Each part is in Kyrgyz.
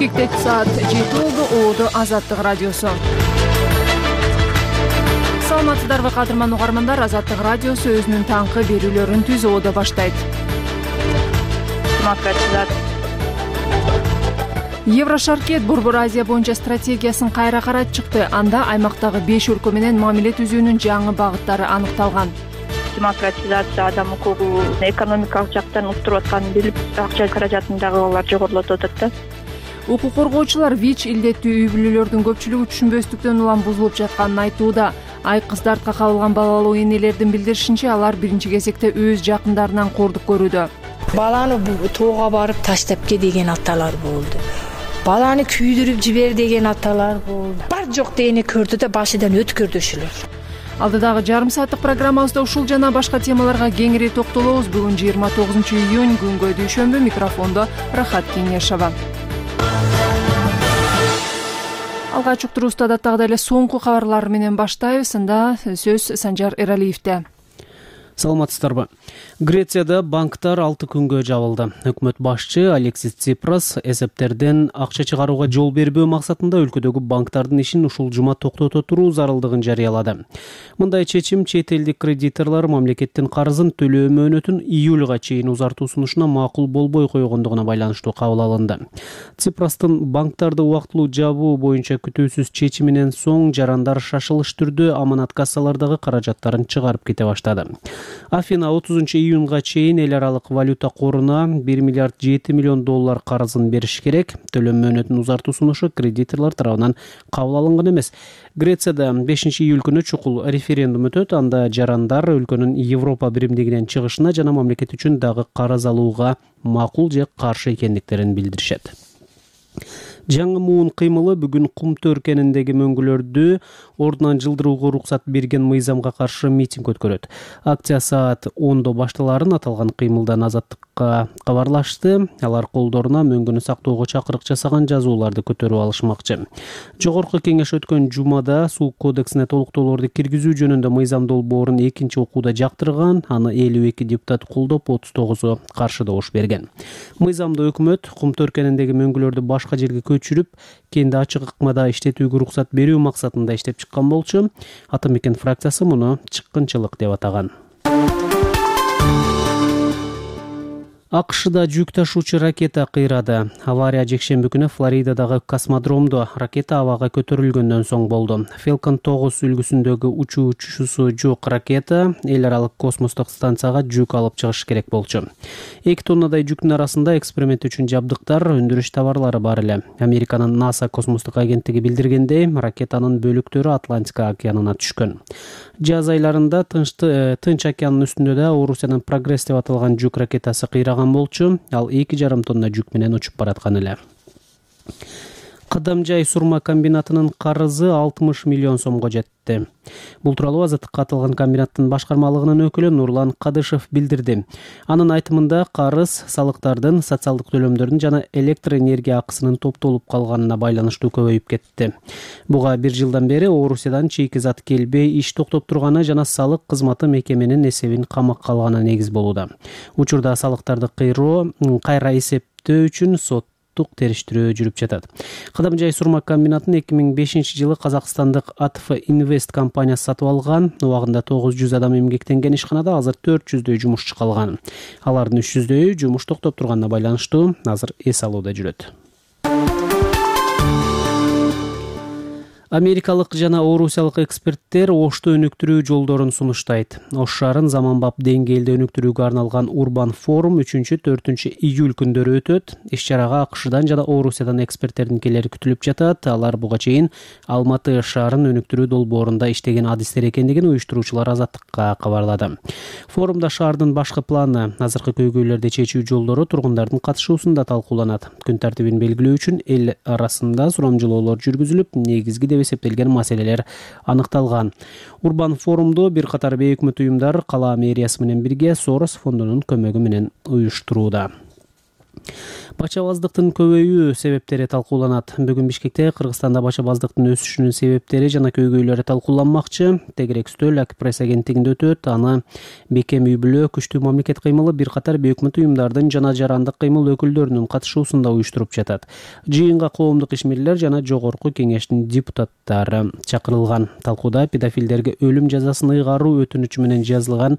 Чирикте саат 7 болду. Оодо Азаттык радиосу. Саламатсыздарбы кадырман угармандар, Азаттык радиосу өзүнүн таңкы берүүлөрүн түз оодо баштайт. Еврошаркет Борбор Азия боюнча стратегиясын кайра карап чыкты. Анда аймактагы 5 өлкө менен мамиле түзүүнүн жаңы багыттары аныкталган. Демократизация, адам укугу, экономикалык жактан уктуруп атканын билип, акча каражатын дагы алар жогорулатып атат да. Укук коргоочулар ВИЧ илдеттүү үй бүлөлөрдүн көпчүлүгү түшүнбөстүктөн улам бузулуп жатканын айтууда. Айкыз артка кабылган балалуу энелердин билдиришинче, алар биринчи кезекте өз жакындарынан кордук көрүүдө. Баланы тоого барып таштапке деген аталар болду. Баланы күйдүрүп жибер деген аталар болду. Бар жок дегени көрдү да башыдан өткөрдөшүлөр. Алдыдагы жарым сааттык программабызда ушул жана башка темаларга кеңири токтолобуз. Бүгүн 29-июнь күнгө дүйшөмбү. Микрофондо Рахат Кеңешова. Алгач уктуруубузду адаттагыдай эле соңку кабарлар менен баштайбыз. Анда сөз Санжар Эралиевде. Саламатсыздарбы. Грецияда банктар 6 күнгө жабылды. Өкмөт башчы Алексис Ципрас эсептерден акча чыгарууга жол бербөө максатында өлкөдөгү банктардын ишин ушул жума токтото туруу зарылдыгын жарыялады. Мындай чечим чет элдик кредиторлор мамлекеттин карызын төлөө мөөнөтүн июлга чейин узартуу сунушуна макул болбой койгондугуна байланыштуу кабыл алынды. Ципрастын банктарды убактылуу жабуу боюнча күтүүсүз чечиминен соң жарандар шашылыш түрдө аманат кассалардагы каражаттарын чыгарып кете баштады. Афина 30-июнга чейин эл аралык валюта коруна 1 миллиард 7 миллион доллар карызын бериш керек. Төлөм мөөнөтүн узартуу сунушу кредиторлор тарабынан кабыл алынган эмес. Грецияда 5-июль күнү чукул референдум өтөт. Анда жарандар өлкөнүн Европа биримдигинен чыгышына жана мамлекет үчүн дагы карыз алууга макул же каршы экендиктерин билдиришет. Жаңы муун кыймылы бүгүн Кум Төркеніндеги мөңгүлөрдү ордунан жылдырууга уруксат берген мыйзамга каршы митинг өткөрөт. Акция саат 10 башталарын аталган кыймылдан Азаттыкка кабарлашты. Алар колдоруна мөңгүнү сактоого чакырык жасаган жазууларды көтөрүп алышмакчы. Жогорку кеңеш өткөн жумада суу кодексине толуктоолорду киргизүү жөнүндө мыйзам долбоорун экинчи окууда жактырган. Аны 52 депутат колдоп, 39 каршы добуш берген. Мыйзамды өкмөт Кум Төркеніндеги мөңгүлөрдү башка жерге көчүрүп, кенде ачык ыкмада иштетүүгө уруксат берүү максатында иштеп чыккан болчу. Атамекен фракциясы муну чыккынчылык деп атаган. АКШда жүк ташуучу ракета кыйрады. Авария жекшемби күнү Флоридадагы космодромдо ракета абага көтөрүлгөндөн соң болду. Falcon 9 үлгүсүндөгү учуучусу жок ракета эл аралык космостук станцияга жүк алып чыгыш керек болчу. 2 тоннадай жүктүн арасында эксперимент үчүн жабдыктар, өндүрүш товарлары бар эле. Американын НАСА космостук агенттиги билдиргендей, ракетанын бөлүктөрү Атлантика океанына түшкөн. Жаз айларында Тынч океанынын үстүндө да Орусиянын Прогресс деп аталган жүк ракетасы кыйраган болчу. Ал 2,5 тонна жүк менен учуп бараткан эле. Кадамжай сурма комбинатынын карызы 60 миллион сомго жетти. Бул тууралуу Азаттыкка аталган комбинаттын башкармалыгынын өкүлү Нурлан Кадышев билдирди. Анын айтымында карыз салыктардын, социалдык төлөмдөрдүн жана электр энергия акысынын топтолуп калганына байланыштуу көбөйүп кетти. Буга 1 жылдан бери Орусиядан чейки зат келбей иш токтоп турганы жана салык кызматы мекеменин эсебин камакка алганы негиз болууда. Учурда салыктарды кайра эсептөө үчүн териштирүү жүрүп жатат. Кадамжай сурма комбинатын 2005 жылы Казакстандык АТФ Инвест компаниясы сатып алган. Убагында 900 адам эмгектенген ишканада азыр 400дөй жумушчу калган. Алардын 300дөйү жумуш токтоп турганына байланыштуу азыр эс алууда жүрөт. Америкалык жана орусиялык эксперттер Ошто өнүктүрүү жолдорун сунуштайт. Ош шаарын заманбап деңгээлде өнүктүрүүгө арналган Урбан форум 3-4 июль күндөрү өтөт. Иш-чарага АКШдан жана Орусиядан эксперттердин келери күтүлүп жатат. Алар буга чейин Алматы шаарын өнүктүрүү долбоорунда иштеген адистер экендигин уюштуруучулар Азаттыкка кабарлады. Форумда шаардын башкы планы, азыркы көйгөйлөрдү чечүү жолдору тургундардын катышуусунда талкууланат. Күн тартибин белгилөө үчүн эл арасында сурамжылоолор жүргүзүлүп, негизги эсептелген маселелер аныкталган. Урбан форумду бир катар бейөкмөт уюмдар кала мэриясы менен бирге Сорос фондунун көмөгү менен уюштурууда. Бачабаздыктын көбөйүү себептери талкууланат. Бүгүн Бишкекте Кыргызстанда бачабаздыктын өсүшүнүн себептери жана көйгөйлөрү талкууланмакчы. Тегерек үстөл Акпресс агенттигинде өтөт. Аны бекем үй бүлө, күчтүү мамлекет кыймылы, бир катар бейөкмөт уюмдардын жана жарандык кыймыл өкүлдөрүнүн катышуусунда уюштуруп жатат. Жыйынга коомдук ишмерлер жана жогорку кеңештин депутаттары чакырылган. Талкууда педофилдерге өлүм жазасын ыйгаруу өтүнүчү менен жазылган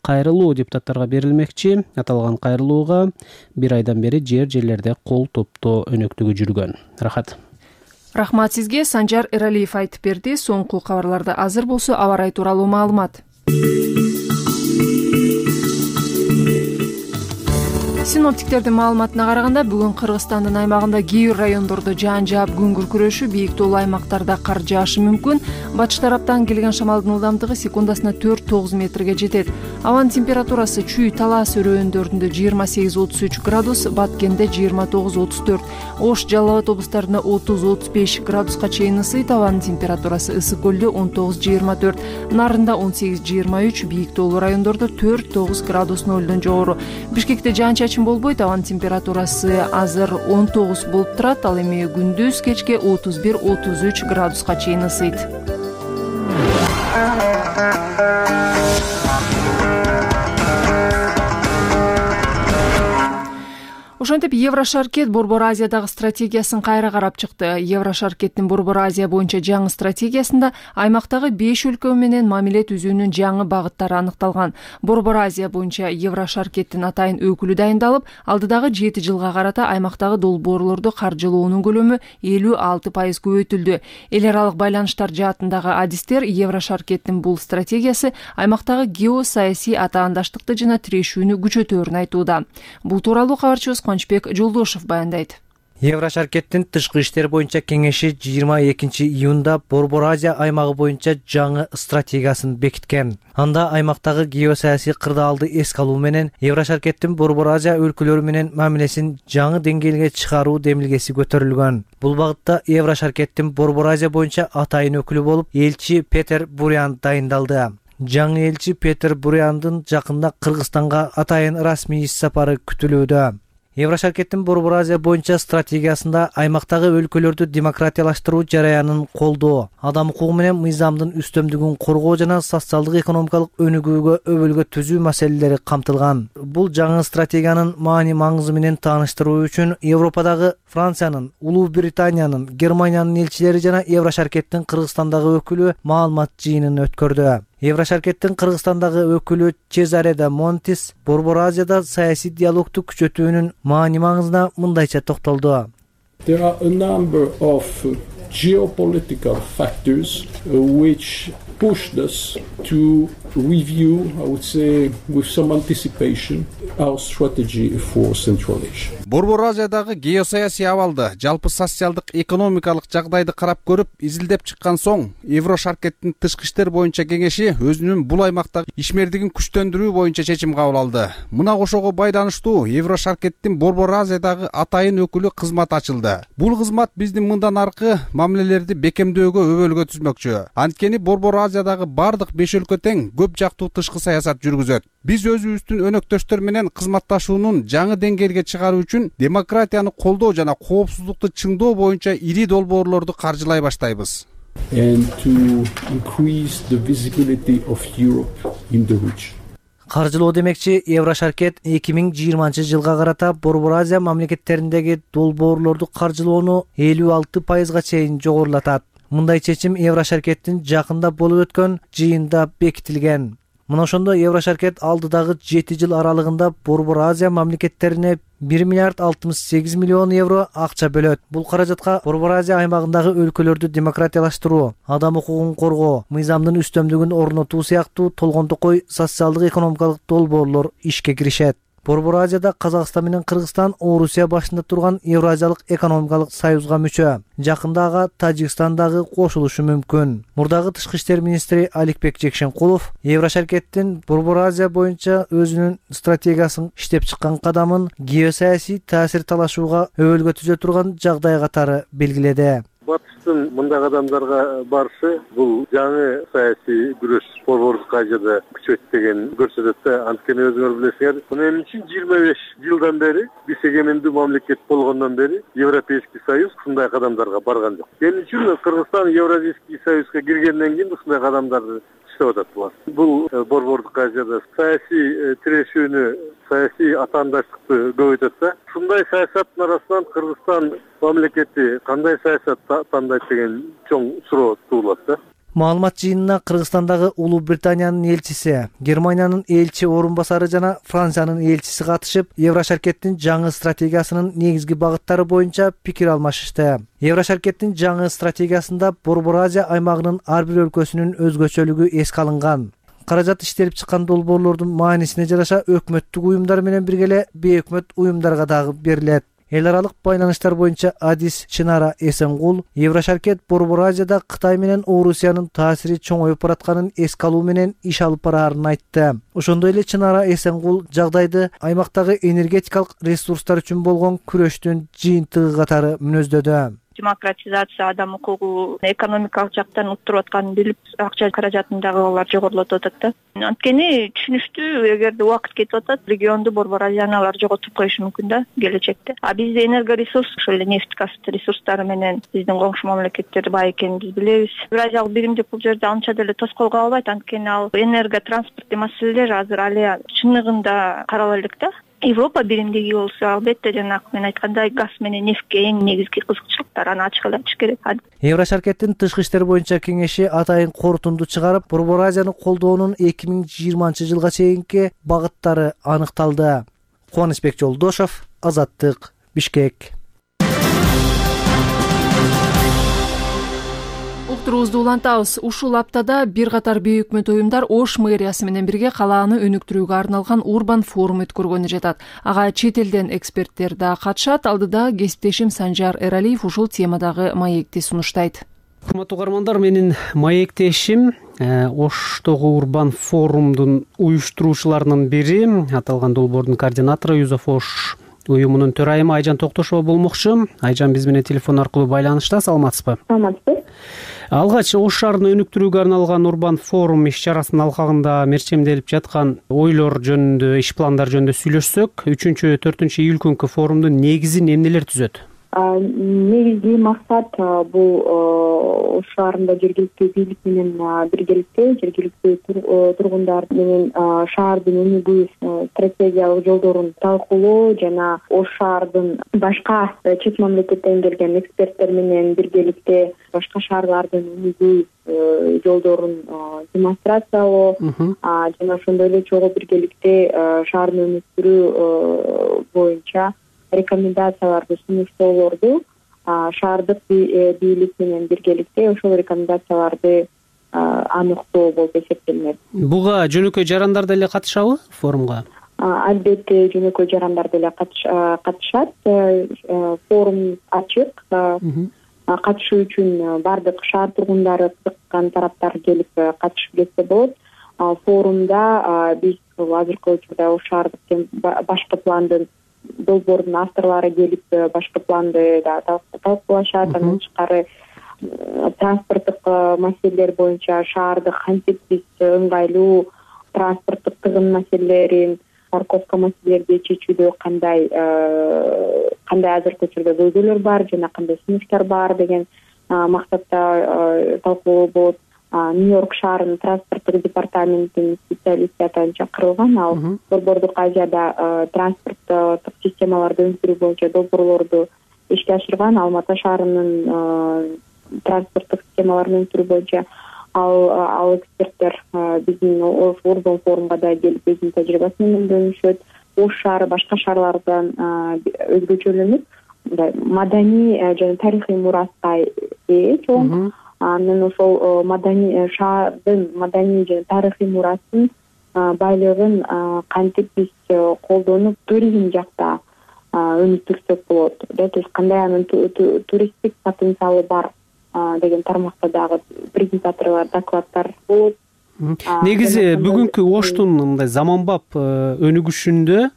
кайрылуу депутаттарга берилмекчи. Аталган кайрылууга бир айдан бери жерлерде кол топтоо өнөктүгү жүргөн. Рахмат сизге. Санжар Эралиев айтып берди. Соңку кабарларда азыр болсо аба ырайы тууралуу маалымат. Синоптиктердин маалыматына караганда бүгүн Кыргызстандын аймагында кээ бир райондордо жаан жаап күн күркүрөшү, бийик тоолуу аймактарда кар жаашы мүмкүн. Батыш тараптан келген шамалдын ылдамдыгы секундасына 4-9 метрге жетет. Абанын температурасы Чүй, Талас өрөөндөр 28-33 градус, Баткенде 29-34, Ош, Жалал Абад облустарында 30-35 градуска чейин ысыйт. Абанын температурасы Ысык көлдө 19-24, Нарында 18-23, бийик тоолуу райондордо 4-9 градус нөлдөн жогору. Бишкекте жаан-чачын болбойт. Абанын температурасы азыр 19 болуп турат. Ал эми күндүз кечке 31-33 градуска чейин ысыйт. Ошентип Еврошаркет Борбор Азиядагы стратегиясын кайра карап чыкты. Еврошаркеттин Борбор Азия боюнча жаңы стратегиясында аймактагы 5 өлкө менен мамиле түзүүнүн жаңы багыттары аныкталган. Борбор Азия боюнча Еврошаркеттин атайын өкүлү дайындалып, алдыдагы 7 жылга карата аймактагы долбоорлорду каржылоонун көлөмү 56% көбөйтүлдү. Эл аралык байланыштар жаатындагы адистер Еврошаркеттин бул стратегиясы аймактагы геосаясий атаандаштыкты жана тирешүүнү күчөтөөрүн айтууда. Бул тууралуу кабарчыбыз Кончбек Жолдошев баяндайт. Еврошаркеттин тышкы иштер боюнча кеңеши 22-июнда Борбор Азия аймагы боюнча жаңы стратегиясын бекиткен. Анда аймактагы геосаясий кырдаалды эске алуу менен Еврошаркеттин Борбор Азия өлкөлөрү менен мамилесин жаңы деңгээлге чыгаруу демилгеси көтөрүлгөн. Бул багытта Еврошаркеттин Борбор Азия боюнча атайын өкүлү болуп элчи Петер Бурян дайындалды. Жаңы элчи Петер Буряндын жакында Кыргызстанга атайын расмий иш сапары күтүлүүдө. Еврошаркеттин Борбор Азия боюнча стратегиясында аймактагы өлкөлөрдү демократиялаштыруу жараянын колдоо, адам укугу менен мыйзамдын үстөмдүгүн коргоо жана социалдык экономикалык өнүгүүгө өбөлгө түзүү маселелери камтылган. Бул жаңы стратегиянын маани маңызы менен тааныштыруу үчүн Европадагы Франциянын, Улуу Британиянын, Германиянын элчилери жана Еврошаркеттин Кыргызстандагы өкүлү маалымат жыйынын өткөрдү. Еврошаркеттин Кыргызстандагы өкүлү Чезаре да Монтис Борбор Азияда саясий диалогду күчөтүүнүн маани маңызына мындайча токтолду. There are a number of geopolitical factors which pushed us to review, I would say, with some anticipation, our strategy for Central Asia. Борбор Азиядагы геосаясий абалды, жалпы социалдык экономикалык жагдайды карап көрүп, изилдеп чыккан соң, Еврошаркеттин тышкы иштер боюнча кеңеши өзүнүн бул аймактагы ишмердигин күчтөндүрүү боюнча чечим кабыл алды. Мына ошого байланыштуу Еврошаркеттин Борбор Азиядагы атайын өкүлү кызмат ачылды. Бул кызмат биздин мындан аркы мамилелерди бекемдөөгө өбөлгө түзмөкчү. Анткени Борбор Азиядагы бардык 5 өлкө тең көп жактуу тышкы саясат жүргүзөт. Биз өзүбүздүн өнөктөштөр менен кызматташуунун жаңы деңгээлге чыгаруу үчүн демократияны колдоо жана коопсуздукту чыңдоо боюнча ири долбоорлорду каржылай баштайбыз. And to increase the visibility of Europe in the region. Каржылоо демекчи Еврошаркет 2020-жылга карата Борбор Азия мамлекеттериндеги долбоорлорду каржылоону 56% чейин жогорулатат. Мындай чечим Еврошаркеттин жакында болуп өткөн жыйында бекитилген. Мына ошондо Еврошаркет алдыдагы 7 жыл аралыгында Борбор Азия мамлекеттерине 1 миллиард 68 миллион евро акча бөлөт. Бул каражатка Борбор Азия аймагындагы өлкөлөрдү демократиялаштыруу, адам укугун коргоо, мыйзамдын үстөмдүгүн орнотуу сыяктуу толгондокой социалдык экономикалык долбоорлор ишке киришет. Борбор Азияда Казакстан менен Кыргызстан Орусия башында турган Евразиялык экономикалык союзга мүчө. Жакында ага Тажикстан дагы кошулушу мүмкүн. Мурдагы тышкы иштер министри Аликбек Жекшенкулов Еврошаркеттин Борбор Азия боюнча өзүнүн стратегиясын иштеп чыккан кадамын геосаясий таасир талашууга өбөлгө түзө турган жагдай катары белгиледи. Батыштын мындай кадамдарга барышы бул жаңы саясий күрөш Борбордук Азияда күчөйт деген көрсөтөт да. Анткени өзүңөр билесиңер, мына 25 жылдан бери биз эгемендүү мамлекет болгондон бери Европейский Союз ушундай кадамдарга барган жок. Эмне үчүн Кыргызстан Евразийский Союзга киргенден кийин ушундай кадамдарды иштеп атат булар. Бул Борбордук Азияда саясий тирешүүнү, саясий атаандаштыкты көбөйтөт да. Ушундай саясаттын арасынан Кыргызстан мамлекети кандай саясат тандайт деген чоң суроо туулат да. Маалымат жыйынына Кыргызстандагы Улуу Британиянын элчиси, Германиянын элчи орун басары жана Франциянын элчиси катышып, Еврошаркеттин жаңы стратегиясынын негизги багыттары боюнча пикир алмашышты. Еврошаркеттин жаңы стратегиясында Борбор Азия аймагынын ар бир өлкөсүнүн өзгөчөлүгү эске алынган. Каражат иштелип чыккан долбоорлордун маанисине жараша өкмөттүк уюмдар менен бирге эле бейөкмөт уюмдарга дагы берилет. Эл аралык байланыштар боюнча адис Чынара Эсенгул Еврошаркет Борбор Азияда Кытай менен Орусиянын таасири чоңоюп баратканын эске алуу менен иш алып бараарын айтты. Ошондой эле Чынара Эсенгул жагдайды аймактагы энергетикалык ресурстар үчүн болгон күрөштүн жыйынтыгы катары мүнөздөдү. Демократизация, адам укугу экономикалык жактан уттуруп атканын билип, акча каражатын дагы алар жогорулатып атат да. Анткени түшүнүштүү, эгерде убакыт кетип атат, регионду Борбор Азияны алар жоготуп коюшу мүмкүн да келечекте. А бизде энергоресурс, ошол эле нефть газ ресурстары менен биздин коңшу мамлекеттер бай экенин биз билебиз. Евразиялык биримдик бул жерде анча деле тоскоол кала албайт, анткени ал энерготранспорттук маселелер азыр алия чыныгында карала элек да. Европа биримдиги болсо, албетте жанагы мен айткандай газ менен нефтке эң негизги кызыкчылыктар, аны ачык эле айтыш керек. Еврошаркеттин тышкы иштер боюнча кеңеши атайын корутунду чыгарып, Борбор Азияны колдоонун 2020-жылга чейинки багыттары аныкталды. Кубанычбек Жолдошов, Азаттык, Бишкек. Уктуруубузду улантабыз. Ушул аптада бир катар бейөкмөт уюмдар Ош мэриясы менен бирге калааны өнүктүрүүгө арналган урбан форум өткөргөнү жатат. Ага чет элден эксперттер да катышат. Алдыда кесиптешим Санжар Эралиев ушул темадагы маекти сунуштайт. Урматтуу угармандар, менин маектешим Оштогу урбан форумдун уюштуруучуларынын бири, аталган долбоордун координатору Юзов Ош уюмунун төрайымы Айжан Токтошова болмокчу. Айжан биз менен телефон аркылуу байланышта. Саламатсызбы? Саламатсыз. Алгач Ош шаарын өнүктүрүүгө арналган урбан форум иш чарасынын алкагында мерчемделип жаткан ойлор жөнүндө, иш пландар жөнүндө сүйлөшсөк, 3-4 июль күнкү форумдун негизин эмнелер түзөт? Негизги максат бул Ош шаарында жергиликтүү бийлик менен биргеликте жергиликтүү тургундар менен шаардын өнүгүү стратегиялык жолдорун талкуулоо жана Ош шаардын башка чет мамлекеттен келген эксперттер менен биргеликте башка шаарлардын өнүгүү жолдорун демонстрациялоо жана ошондой эле чогуу биргеликте шаардын өнүктүрүү боюнча рекомендацияларды сунуштоолорду шаардык бийлик менен биргеликте ошол рекомендацияларды аныктоо болуп эсептелинет. Буга жөнөкөй жарандар деле катышабы форумга? Албетте жөнөкөй жарандар деле катышат. Форум ачык. Катышуу үчүн бардык шаар тургундары, кызыккан тараптар келип катышып кетсе болот. Форумда биз азыркы учурда Ош шаардык башкы пландын долбоордун авторлору келип башкы планды талкуулашат. Андан тышкары транспорттук маселелер боюнча шаарды кантип биз ыңгайлуу транспорттук тыгын маселелерин, парковка маселелерди чечүүдө кандай азыркы учурда көйгөйлөр бар жана кандай сунуштар бар деген максатта талкуу болот. Нью-Йорк шаарынын транспорттук департаментинин специалисти атайын чакырылган. Ал Борбордук Азияда транспорттук системаларды өнүктүрүү боюнча долбоорлорду ишке ашырган. Алматы шаарынын транспорттук системаларын өнүктүрүү боюнча ал эксперттер биздин урбан форумга да келип өзүнүн тажрыйбасы менен бөлүнүшөт. Ош шаары башка шаарлардан өзгөчөлөнүп, маданий жана тарыхый мураска ээ чоң. Анан ошол шаардын маданий жана тарыхый мурасын байлыгын кантип биз колдонуп туризм жакта өнүктүрсөк болот. То есть кандай анын туристтик потенциалы бар деген тармакта дагы презентаторлор, докладдар болот. Негизи бүгүнкү Оштун мындай заманбап өнүгүшүндө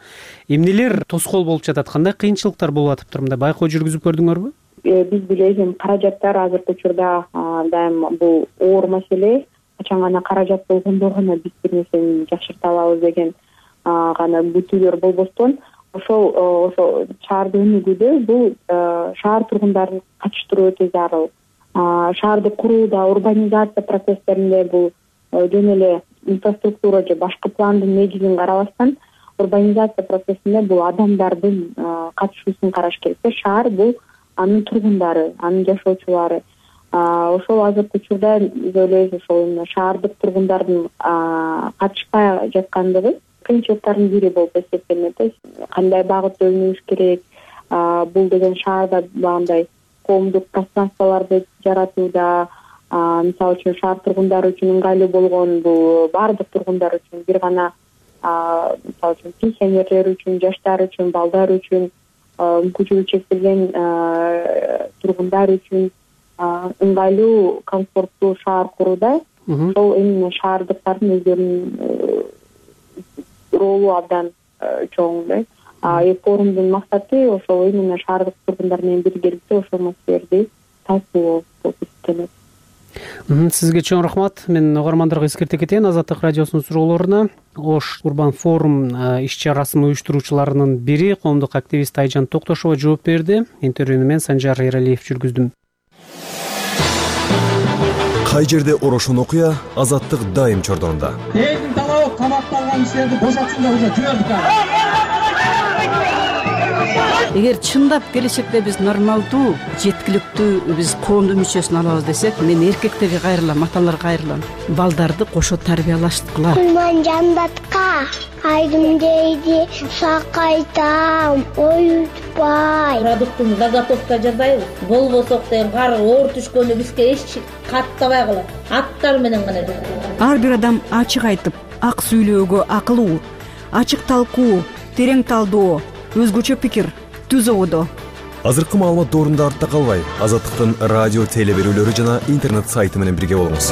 эмнелер тоскоол болуп жатат? Кандай кыйынчылыктар болуп атыптыр? Мындай байкоо жүргүзүп көрдүңөрбү? биз билебиз, каражаттар азыркы учурда дайым бул оор маселе. Качан гана каражат болгондо гана биз бир нерсени жакшырта алабыз деген гана күтүүлөр болбостон, ошол шаарды өнүгүүдө бул шаар тургундарын катыштыруу өтө зарыл. Шаарды курууда, урбанизация процесстеринде бул жөн эле инфраструктура же башкы пландын негизин карабастан, урбанизация процессинде бул адамдардын катышуусун караш керек. Шаар бул анын тургундары, анын жашоочулары. Ошол азыркы учурда биз ойлойбуз, ошол шаардык тургундардын катышпай жаткандыгы кыйынчылыктардын бири болуп эсептелинет. Кандай багытта өнүгүш керек, бул деген шаарда багындай коомдук пространстволорду жаратууда, мисалы үчүн шаар тургундары үчүн ыңгайлуу болгон бул баардык тургундар үчүн, бир гана мисалы үчүн пенсионерлер үчүн, жаштар үчүн, балдар үчүн, мүмкүнчүлүгү чектелген тургундар үчүн ыңгайлуу, комфорттуу шаар курууда ошол именно шаардыктардын өздөрүнүн ролу абдан чоң да. Форумдун максаты ошол именно шаардык тургундар менен биргеликте ошол маселелерди талкуулоо болуп эсептелет. Сизге чоң рахмат. Мен угармандарга эскерте кетейин. Азаттык радиосунун суроолоруна Ош Урбан форум иш-чарасынын уюштуруучуларынын бири коомдук активист Айжан Токтошова жооп берди. Интервьюну мен Санжар Эралиев жүргүздүм. Кай жерде орошон окуя, Азаттык дайым чордонунда. Элдин талабы камакталган кишилерди бошотсун деп уже жибердик. Эгер чындап келечекте биз нормалдуу, жеткиликтүү биз коомдун мүчөсүн алабыз десек, мен эркектерге кайрылам, аталарга кайрылам. Балдарды кошо тарбиялаштыкыла. Кулман жандатка айдым дейди, сакайтам, оютпай. Продуктун заготовка жасайбыз. Болбосок деген кар оор түшкөндө бизге эч каттабай калат. Аттар менен гана жасайбыз. Ар бир адам ачык айтып, ак сүйлөөгө акылуу, ачык талкуу, терең талдоо, өзгөчө пикир түзө ободо. Азыркы маалымат доорунда артта калбай, Азаттыктын радио теле берүүлөрү жана интернет сайты менен бирге болуңуз.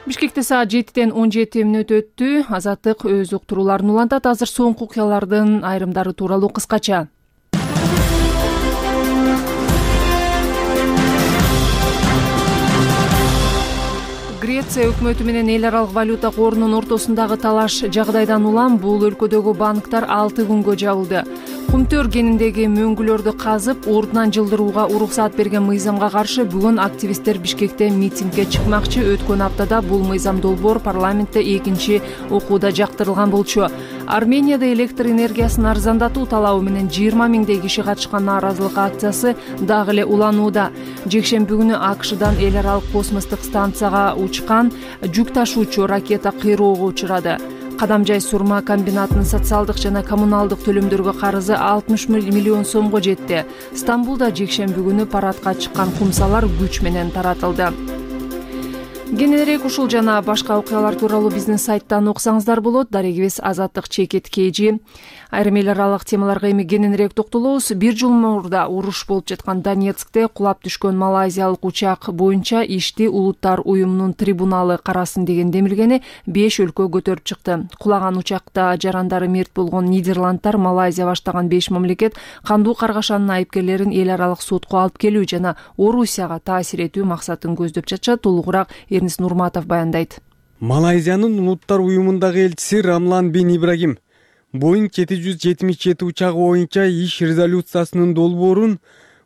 Бишкекте саат 7:17 өттү. Азаттык өз уктурууларын улантат. Азыр соңку окуялардын айрымдары тууралуу кыскача. Греция өкмөтү менен эл аралык валюта корунун ортосундагы талаш жагдайдан улам бул өлкөдөгү банктар 6 күнгө жабылды. Кумтөр кениндеги мөңгүлөрдү казып, ордунан жылдырууга уруксаат берген мыйзамга каршы бүгүн активисттер Бишкекте митингге чыкмакчы. Өткөн аптада бул мыйзам долбоор парламентте экинчи окууда жактырылган болчу. Арменияда электр энергиясын арзандатуу талабы менен 20 миңдей киши катышкан нааразылык акциясы дагы эле уланууда. Жекшемби күнү АКШдан эл аралык космостук станцияга учкан жүк ташуучу ракета кыйроого учурады. Кадамжай сурма комбинатынын социалдык жана коммуналдык төлөмдөргө карызы 60 миллион сомго жетти. Стамбулда жекшемби күнү парадка чыккан кумсалар күч менен таратылды. Кененирээк ушул жана башка окуялар тууралуу биздин сайттан окусаңыздар болот. Дарегибиз Азаттык ЧКТ. Айрым эл аралык темаларга эми кененирээк токтолобуз. Бир жыл мурда уруш болуп жаткан Донецкте кулап түшкөн малайзиялык учак боюнча ишти Улуттар уюмунун трибуналы карасын деген демилгени 5 өлкө көтөрүп чыкты. Кулаган учакта жарандары мерт болгон Нидерландтар, Малайзия баштаган 5 мамлекет кандуу каргашанын айыпкерлерин эл аралык сотко алып келүү жана Орусияга таасир этүү максатын көздөп жатышат. Толугураак Эрнис Нурматов баяндайт. Малайзиянын Улуттар уюмундагы элчиси Рамлан бин Ибрагим Боинг 777 учагы боюнча иш резолюциясынын долбоорун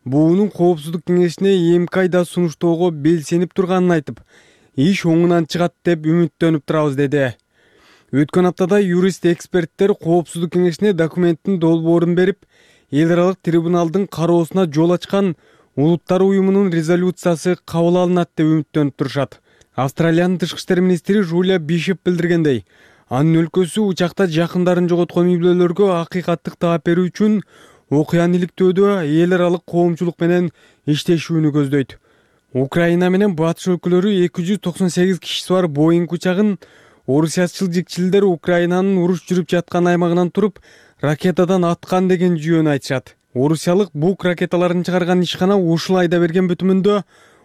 буунун коопсуздук кеңешине эмки айда сунуштоого белсенип турганын айтып, иш оңунан чыгат деп үмүттөнүп турабыз деди. Өткөн аптада юрист-эксперттер коопсуздук кеңешине документтин долбоорун берип, эл аралык трибуналдын кароосуна жол ачкан Улуттар уюмунун резолюциясы кабыл алынат деп үмүттөнүп турушат. Австралиянын тышкы иштер министри Жулия Бишоп билдиргендей, анын өлкөсү учакта жакындарын жоготкон үй бүлөлөргө акыйкаттык таап берүү үчүн окуяны иликтөөдө эл аралык коомчулук менен иштешүүнү көздөйт. Украина менен батыш өлкөлөрү 298 кишиси бар Боинг учагын орусиячыл жикчилдер Украинанын уруш жүрүп жаткан аймагынан туруп ракетадан аткан деген жүйөнү айтышат. Орусиялык бук ракеталарын чыгарган ишкана ушул айда берген бүтүмүндө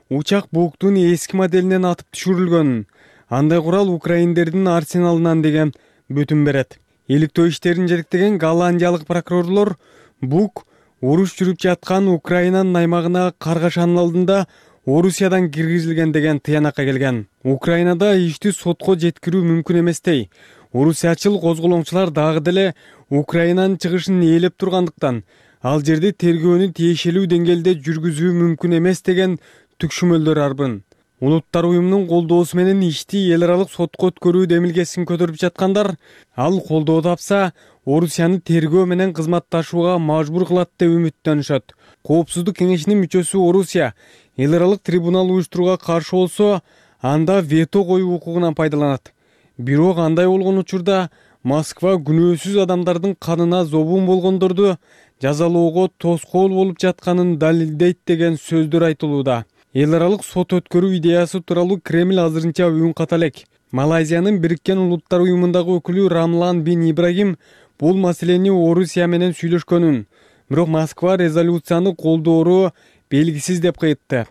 учак буктун эски моделинен атып түшүрүлгөн. Андай курал украиндердин арсеналынан деген бүтүм берет. Иликтөө иштерин жетектеген голландиялык прокурорлор Бук уруш жүрүп жаткан Украинанын аймагына каргашанын алдында Орусиядан киргизилген деген тыянакка келген. Украинада ишти сотко жеткирүү мүмкүн эместей. Орусиячыл козголоңчулар дагы деле Украинанын чыгышын ээлеп тургандыктан ал жерде тергөөнү тиешелүү деңгээлде жүргүзүү мүмкүн эмес деген түкшүмөлдөр арбын. Улуттар уюмунун колдоосу менен ишти эл аралык сотко өткөрүү демилгесин көтөрүп жаткандар ал колдоо тапса Орусияны тергөө менен кызматташууга мажбур кылат деп үмүттөнүшөт. Коопсуздук кеңешинин мүчөсү Орусия эл аралык трибунал уюштурууга каршы болсо, анда вето коюу укугунан пайдаланат. Бирок андай болгон учурда Москва күнөөсүз адамдардын канына зобун болгондорду жазалоого тоскоол болуп жатканын далилдейт деген сөздөр айтылууда. Эл аралык сот өткөрүү идеясы тууралуу Кремль азырынча үн ката элек. Малайзиянын Бириккен Улуттар уюмундагы өкүлү Рамлан бин Ибрагим бул маселени Орусия менен сүйлөшкөнүн, бирок Москва резолюцияны колдоору белгисиз деп кайтты.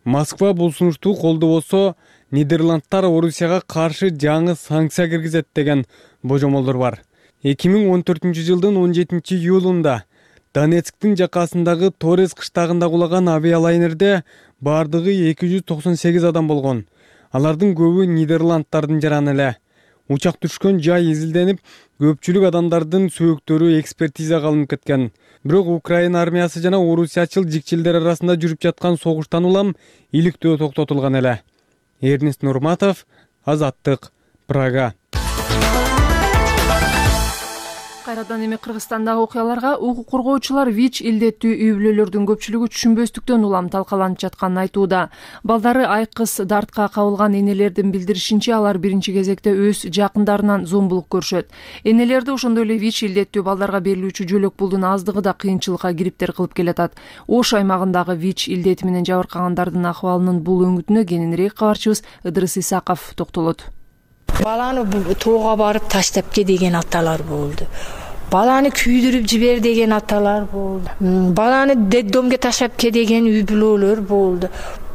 Москва бул сунушту колдобосо Нидерландтар Орусияга каршы жаңы санкция киргизет деген божомолдор бар. 2014-жылдын 17-июлунда Донецктин жакасындагы Торез кыштагында кулаган авиалайнерде бардыгы 298 адам болгон. Алардын көбү Нидерландтардын жараны эле. Учак түшкөн жай изилденип, көпчүлүк адамдардын сөөктөрү экспертизага алынып кеткен. Бирок Украина армиясы жана орусиячыл жикчилдер арасында жүрүп жаткан согуштан улам иликтөө токтотулган эле. Эрнест Нурматов, Азаттык, Прага. Кайрадан эми Кыргызстандагы окуяларга укук коргоочулар ВИЧ илдеттүү үй бүлөлөрдүн көпчүлүгү түшүнбөстүктөн улам талкаланып жатканын айтууда. Балдары айкыз дартка кабылган энелердин билдиришинче, алар биринчи кезекте өз жакындарынан зомбулук көрүшөт. Энелерди ошондой эле ВИЧ илдеттүү балдарга берилүүчү жөлөк пулдун аздыгы да кыйынчылыкка кириптер кылып келатат. Ош аймагындагы ВИЧ илдети менен жабыркагандардын акыбалынын бул өңүтүнө кененирээк кабарчыбыз Ыдырыс Исаков токтолот. Баланы тоого барып таштап ке деген аталар болду. Баланы күйдүрүп жибер деген аталар болду. Баланы детдомго таштап ке деген үй бүлөлөр болду.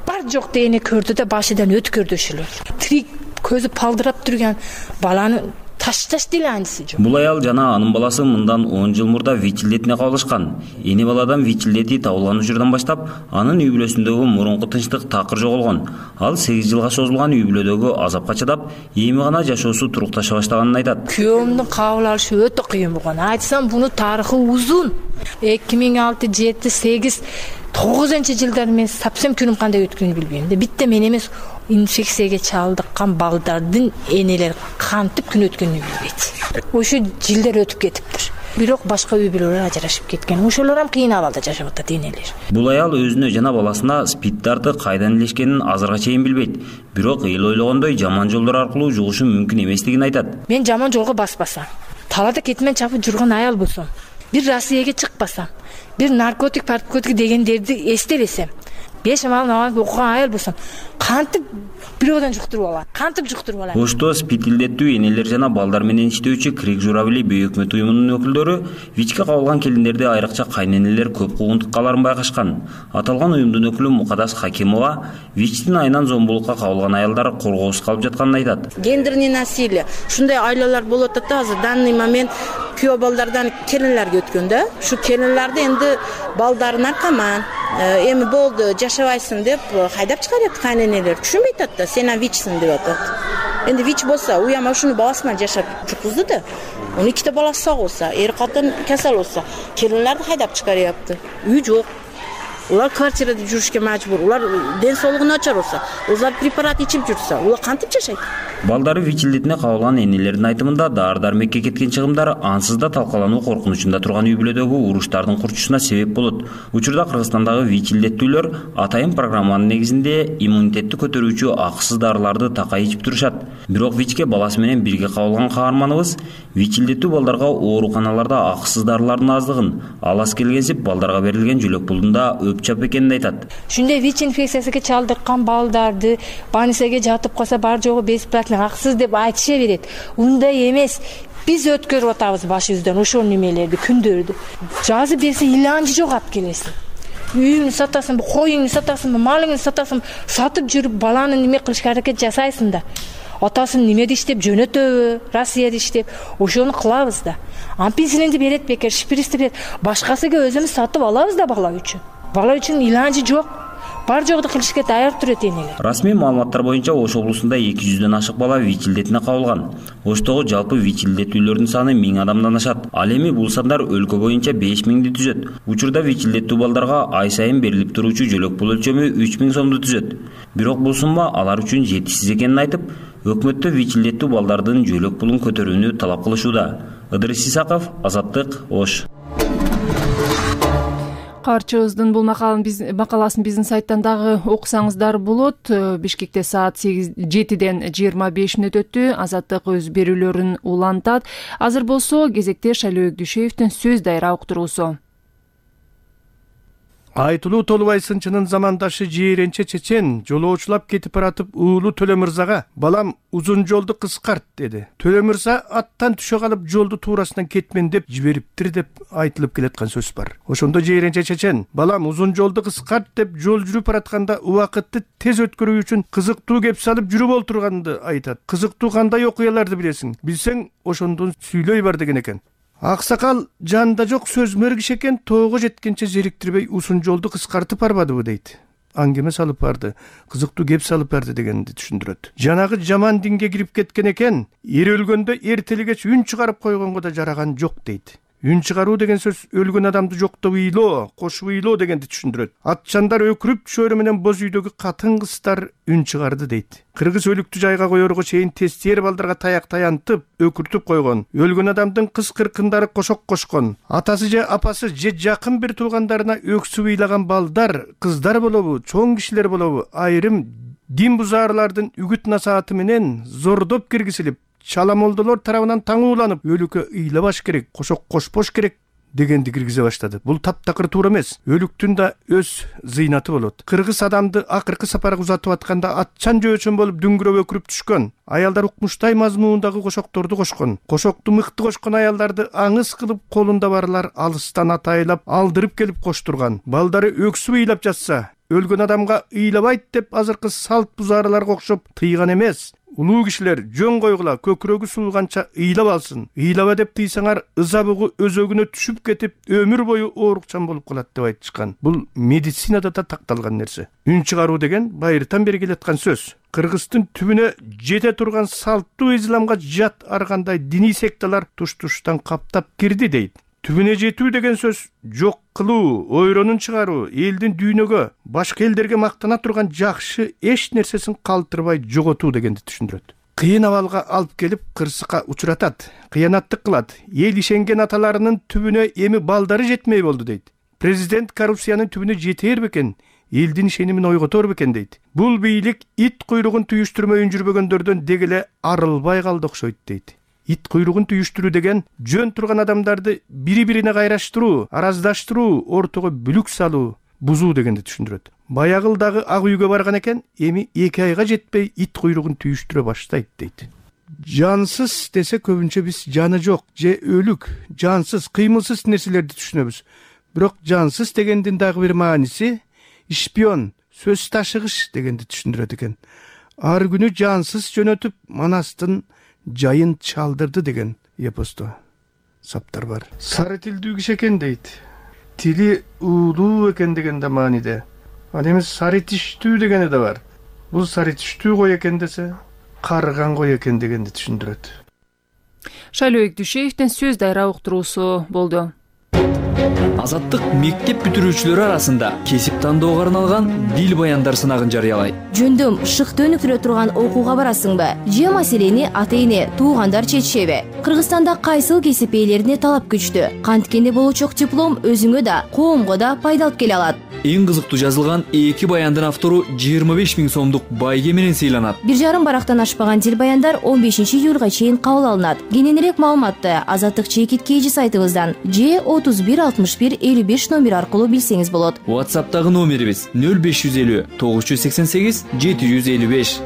Бар жок дегени көрдү да башыдан өткөрдөшүлөр. Тирик көзү палдырап турган баланы ташташ деле анысы жок. Бул аял жана анын баласы мындан 10 жыл мурда ВИЧ илдетине кабылышкан. Эне баладан ВИЧ илдети табылган учурдан баштап анын үй бүлөсүндөгү мурунку тынчтык такыр жоголгон. Ал 8 жылга созулган үй бүлөдөгү азапка чыдап, эми гана жашоосу турукташа баштаганын айтат. Күйөөмдүн кабыл алышы өтө кыйын болгон. Айтсам буну тарыхы узун. 2006, 7, 8, 9-жылдар мен совсем күнүм кандай өткөнүн билбейм. Битте мен эмес, инфекцияга чалдыккан балдардын энелери кантип күн өткөнүн билбейт. Ошо жылдар өтүп кетиптир. Бирок башка үй бүлөлөр ажырашып кеткен. Ошолор ham кыйын абалда жашап атат энелер. Бул аял өзүнө жана баласына СПИД дарты кайдан илешкенин азырга чейин билбейт. Бирок эл ойлогондой жаман жолдор аркылуу жугушу мүмкүн эместигин айтат. Мен жаман жолго баспасам, талада кетмен чапып жүргөн аял болсом, бир Россияга чыкпасам, бир наркотик дегендерди эстебесем, 5 намаз окуган аял болсом, кантип бирөөдөн жуктуруп алам? Кантип жуктуруп алам? Ошто СПИД илдеттүү энелер жана балдар менен иштөөчү Крик Журавли бейөкмөт уюмунун өкүлдөрү ВИЧке кабылган келиндерди айрыкча кайненелер көп куугунтуккаларын байкашкан. Аталган уюмдун өкүлү Мукадас Хакимова ВИЧтин айынан зомбулукка кабылган аялдар коргоосуз калып жатканын айтат. Гендерный насилие. Ушундай айлалар болуп атат да, азыр данный момент күйөө балдардан келинлерге өткөн да. Ушу келинлерди энди балдары наркоман, эми болду, жашабайсың деп хайдап чыгарат кайненелер. Түшүнбөй атат да, сен ВИЧсиң деп атат. Энди ВИЧ болсо, уяма ушуну баласы менен жашап жүргүздү да. 12 баласы сак болсо, эр катын кесел болсо, келинлерди хайдап чыгарыпты. Үй жок. Улар квартирада жүрүшкө мажбур. Улар ден соолугу начар болсо, улар препарат ичип жүрсө, улар кантип жашайт? Балдары ВИЧ илдетине кабылган энелердин айтымында дары-дармекке кеткен чыгымдар ансыз да талкалануу коркунучунда турган үй бүлөдөгү уруштардын курчушуна себеп болот. Учурда Кыргызстандагы ВИЧ илдеттүүлөр атайын программанын негизинде иммунитетти көтөрүүчү акысыз дарыларды такай ичип турушат. Бирок ВИЧке баласы менен бирге кабылган каарманыбыз ВИЧ илдеттүү балдарга ооруканаларда акысыз дарылардын аздыгын, алас келгенсип балдарга берилген жөлөк пулдун да өпчап экенин айтат. Ушундай ВИЧ инфекциясына чалдыккан балдарды больницага жатып калса бар жогу бесплатно акысыз деп айтыша берет. Ундай эмес. Биз өткөрүп атабыз башыбыздан ошол немелерди, күндөрдү. Жазып берсе иланчы жок алып келесиң. Үйүңдү сатасыңбы, коюңду сатасыңбы, малыңды сатасыңбы, сатып жүрүп баланы неме кылышка аракет жасайсың да. атасын немеде иштеп жөнөтөбү, Россияда иштеп, ошону кылабыз да. Ампинсилинди берет бекер, шприцти берет. Башкасыга өзүбүз сатып алабыз да бала үчүн. Бала үчүн иланчы жок. Бар жогду кылышка даяр турат энелер. Расмий маалыматтар боюнча Ош облусунда 200дөн ашык бала ВИЧ илдетине кабылган. Оштогу жалпы ВИЧ илдеттүүлөрдүн саны 1000 адамдан ашат. Ал эми бул сандар өлкө боюнча 5000ди түзөт. Учурда ВИЧ илдеттүү балдарга ай сайын берилип туруучу жөлөк пул өлчөмү 3000 сомду түзөт. Бирок бул сумма алар үчүн жетишсиз экенин айтып, өкмөттө ВИЧ илдеттүү балдардын жөлөк пулун көтөрүүнү талап кылышууда. Ыдырыс Исаков, Азаттык, Ош. Каарчыбыздын бул макаласын биздин сайттан дагы окусаңыздар болот. Бишкекте саат 7ден 25 мүнөт өттү. Азаттык өз берүүлөрүн улантат. Азыр болсо кезекте Шайлообек Дүйшеевдин сөз дайра уктуруусу. Айтылуу Толубай сынчынын замандашы Жээренче чечен жолоочулап кетип баратып уулу Төлө мырзага «Балам, узун жолду кыскарт» деди. Төлө мырза аттан түшө калып жолду туурасынан кетмен деп жибериптир деп айтылып келаткан сөз бар. Ошондо Жээренче чечен «Балам, узун жолду кыскарт» деп жол жүрүп баратканда убакытты тез өткөрүү үчүн кызыктуу кеп салып жүрүп олтурганды айтат. Кызыктуу кандай окуяларды билесиң? Билсең, ошондон сүйлөй бар деген экен. Аксакал жанында жок сөзмөр киши экен, тоого жеткенче зериктирбей узун жолду кыскартып барбадыбы дейт. Аңгеме салып барды, кызыктуу кеп салып барды дегенди түшүндүрөт. Жанагы жаман динге кирип кеткен экен, эр өлгөндө эртелигеч үн чыгарып койгонго да жараган жок дейт. Үн чыгаруу деген сөз өлгөн адамды жоктоп ыйлоо, кошуп ыйлоо дегенди түшүндүрөт. Атчандар өкүрүп чөөрө менен боз үйдөгү катын кыздар үн чыгарды дейт. Кыргыз өлүктү жайга коерго чейин тестер балдарга таяк таянтып, өкүртүп койгон. Өлгөн адамдын кыз кыркындары кошок кошкон. Атасы же апасы же жакын бир туугандарына өксүп ыйлаган балдар, кыздар болобу, чоң кишилер болобу, айрым дин бузаарлардын үгүт насааты менен зордоп киргизилип, чаламолдолор тарабынан таңууланып, өлүккө ыйлабаш керек, кошок кошпош керек дегенди киргизе баштады. Бул таптакыр туура эмес. Өлүктүн да өз зыйнаты болот. Кыргыз адамды акыркы сапарга узатып атканда атчан жөөчөн болуп дүңгүрөп өкүрүп түшкөн. Аялдар укмуштай мазмуундагы кошокторду кошкон. Кошокту мыкты кошкон аялдарды аңыз кылып колунда барлар алыстан атайлап алдырып келип коштурган. Балдары өксүп ыйлап жатса, өлгөн адамга ыйлабайт деп азыркы салт бузараларга окшоп тыйган эмес. Улуу кишилер жөн койгула, көкүрөгү сууганча ыйлап алсын. Ыйлаба деп тыйсаңар ыза бугу өзөгүнө түшүп кетип, өмүр бою оорукчан болуп калат деп айтышкан. Бул медицинада да такталган нерсе. Үн чыгаруу деген байыртан бери келаткан сөз. Кыргыздын түбүнө жете турган салттуу исламга жат аргандай диний секталар туш-туштан каптап кирди дейт. Түбүнө жетүү деген сөз жок кылуу, ойронун чыгаруу, элдин дүйнөгө, башка элдерге мактана турган жакшы эч нерсесин калтырбай жоготуу дегенди түшүндүрөт. Кыйын абалга алып келип кырсыкка учуратат, кыянаттык кылат. Эл ишенген аталарынын түбүнө эми балдары жетмей болду дейт. Президент коррупциянын түбүнө жетер бекен, элдин ишенимин ойготор бекен дейт. Бул бийлик ит куйругун түйүштүрмөй жүрбөгөндөрдөн дегеле арылбай калды окшойт дейт. Ит куйругун түйүштүрүү деген жөн турган адамдарды бири-бирине кайраштыруу, араздаштыруу, ортого бүлүк салуу, бузуу дегенди түшүндүрөт. Баягылдагы ак үйгө барган экен, эми 2 айга жетпей ит куйругун түйүштүрө баштайт дейт. Жансыз десе көбүнчө биз жаны жок же өлүк, жансыз, кыймылсыз нерселерди түшүнөбүз. Бирок жансыз дегендин дагы бир мааниси шпион, сөз ташыгыч дегенди түшүндүрөт экен. Ар күнү жансыз жөнөтүп, манастын жайын чалдырды деген эпосто саптар бар. Сары тилдүү киши экен дейт. Тили уулуу экен деген да мааниде. Ал эми сары тиштүү дегени да бар. Бул сары тиштүү кой экен десе, карыган кой экен дегенди түшүндүрөт. Шайлообек Дүйшеевдин сөз дайра уктуруусу болду. Азаттык мектеп бүтүрүүчүлөрү арасында кесип тандоого арналган дил баяндар сынагын жарыялайт. Жөндөм шыкты өнүктүрө турган окууга барасыңбы? Же маселени ата-эне, туугандар чечишеби? Кыргызстанда кайсыл кесип ээлерине талап күчтүү? Канткенде болочок диплом өзүңө да, коомго да пайда алып келе алат. Эң кызыктуу жазылган 2 баяндын автору 25 000 сомдук байге менен сыйланат. 1,5 барактан ашпаган дил баяндар 15 июлга чейин кабыл алынат. Кененирээк маалыматты Азаттык чекит KG сайтыбыздан же 31 61 55 номер аркылуу билсеңиз болот. WhatsApp'тагы номерибиз 0550 988 755.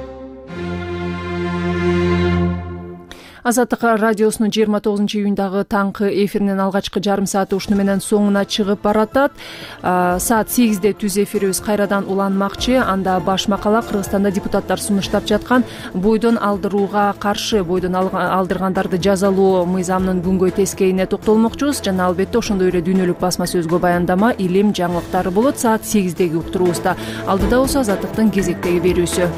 Азаттык радиосунун 29-июндагы таңкы эфиринин алгачкы жарым сааты ушуну менен соңуна чыгып баратат. Саат 8-де түз эфирибиз кайрадан уланмакчы. Анда баш макала Кыргызстанда депутаттар сунуштап жаткан бойдон алдырууга каршы бойдон алдыргандарды жазалоо мыйзамынын күнгөй тескейине токтолмокчубуз жана албетте ошондой эле дүйнөлүк басма сөзгө баяндама, илим, жаңылыктары болот саат 8-деги уктуруубузда. Алдыда болсо Азаттыктын кезектеги берүүсү.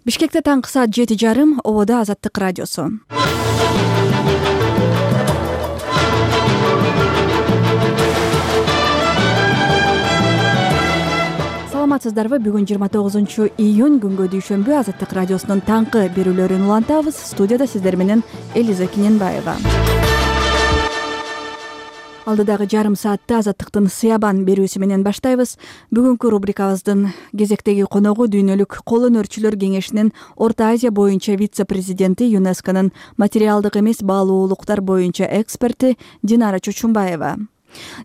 Бишкекте таңкы саат 7:30, ободо Азаттык радиосу. Саламатсыздарбы? Бүгүн 29-июнь күнгө дүйшөмбү Азаттык радиосунун таңкы берүүлөрүн улантабыз. Студияда сиздер менен Элиза Киненбаева. Алдыдагы жарым саатта Азаттыктын Сыябан берүүсү менен баштайбыз. Бүгүнкү рубрикабыздын кезектеги коногу Дүйнөлүк кол өнөрчүлөр кеңешинин Орто Азия боюнча вице-президенти, ЮНЕСКОнун материалдык эмес баалуулуктар боюнча эксперти Динара Чочумбаева.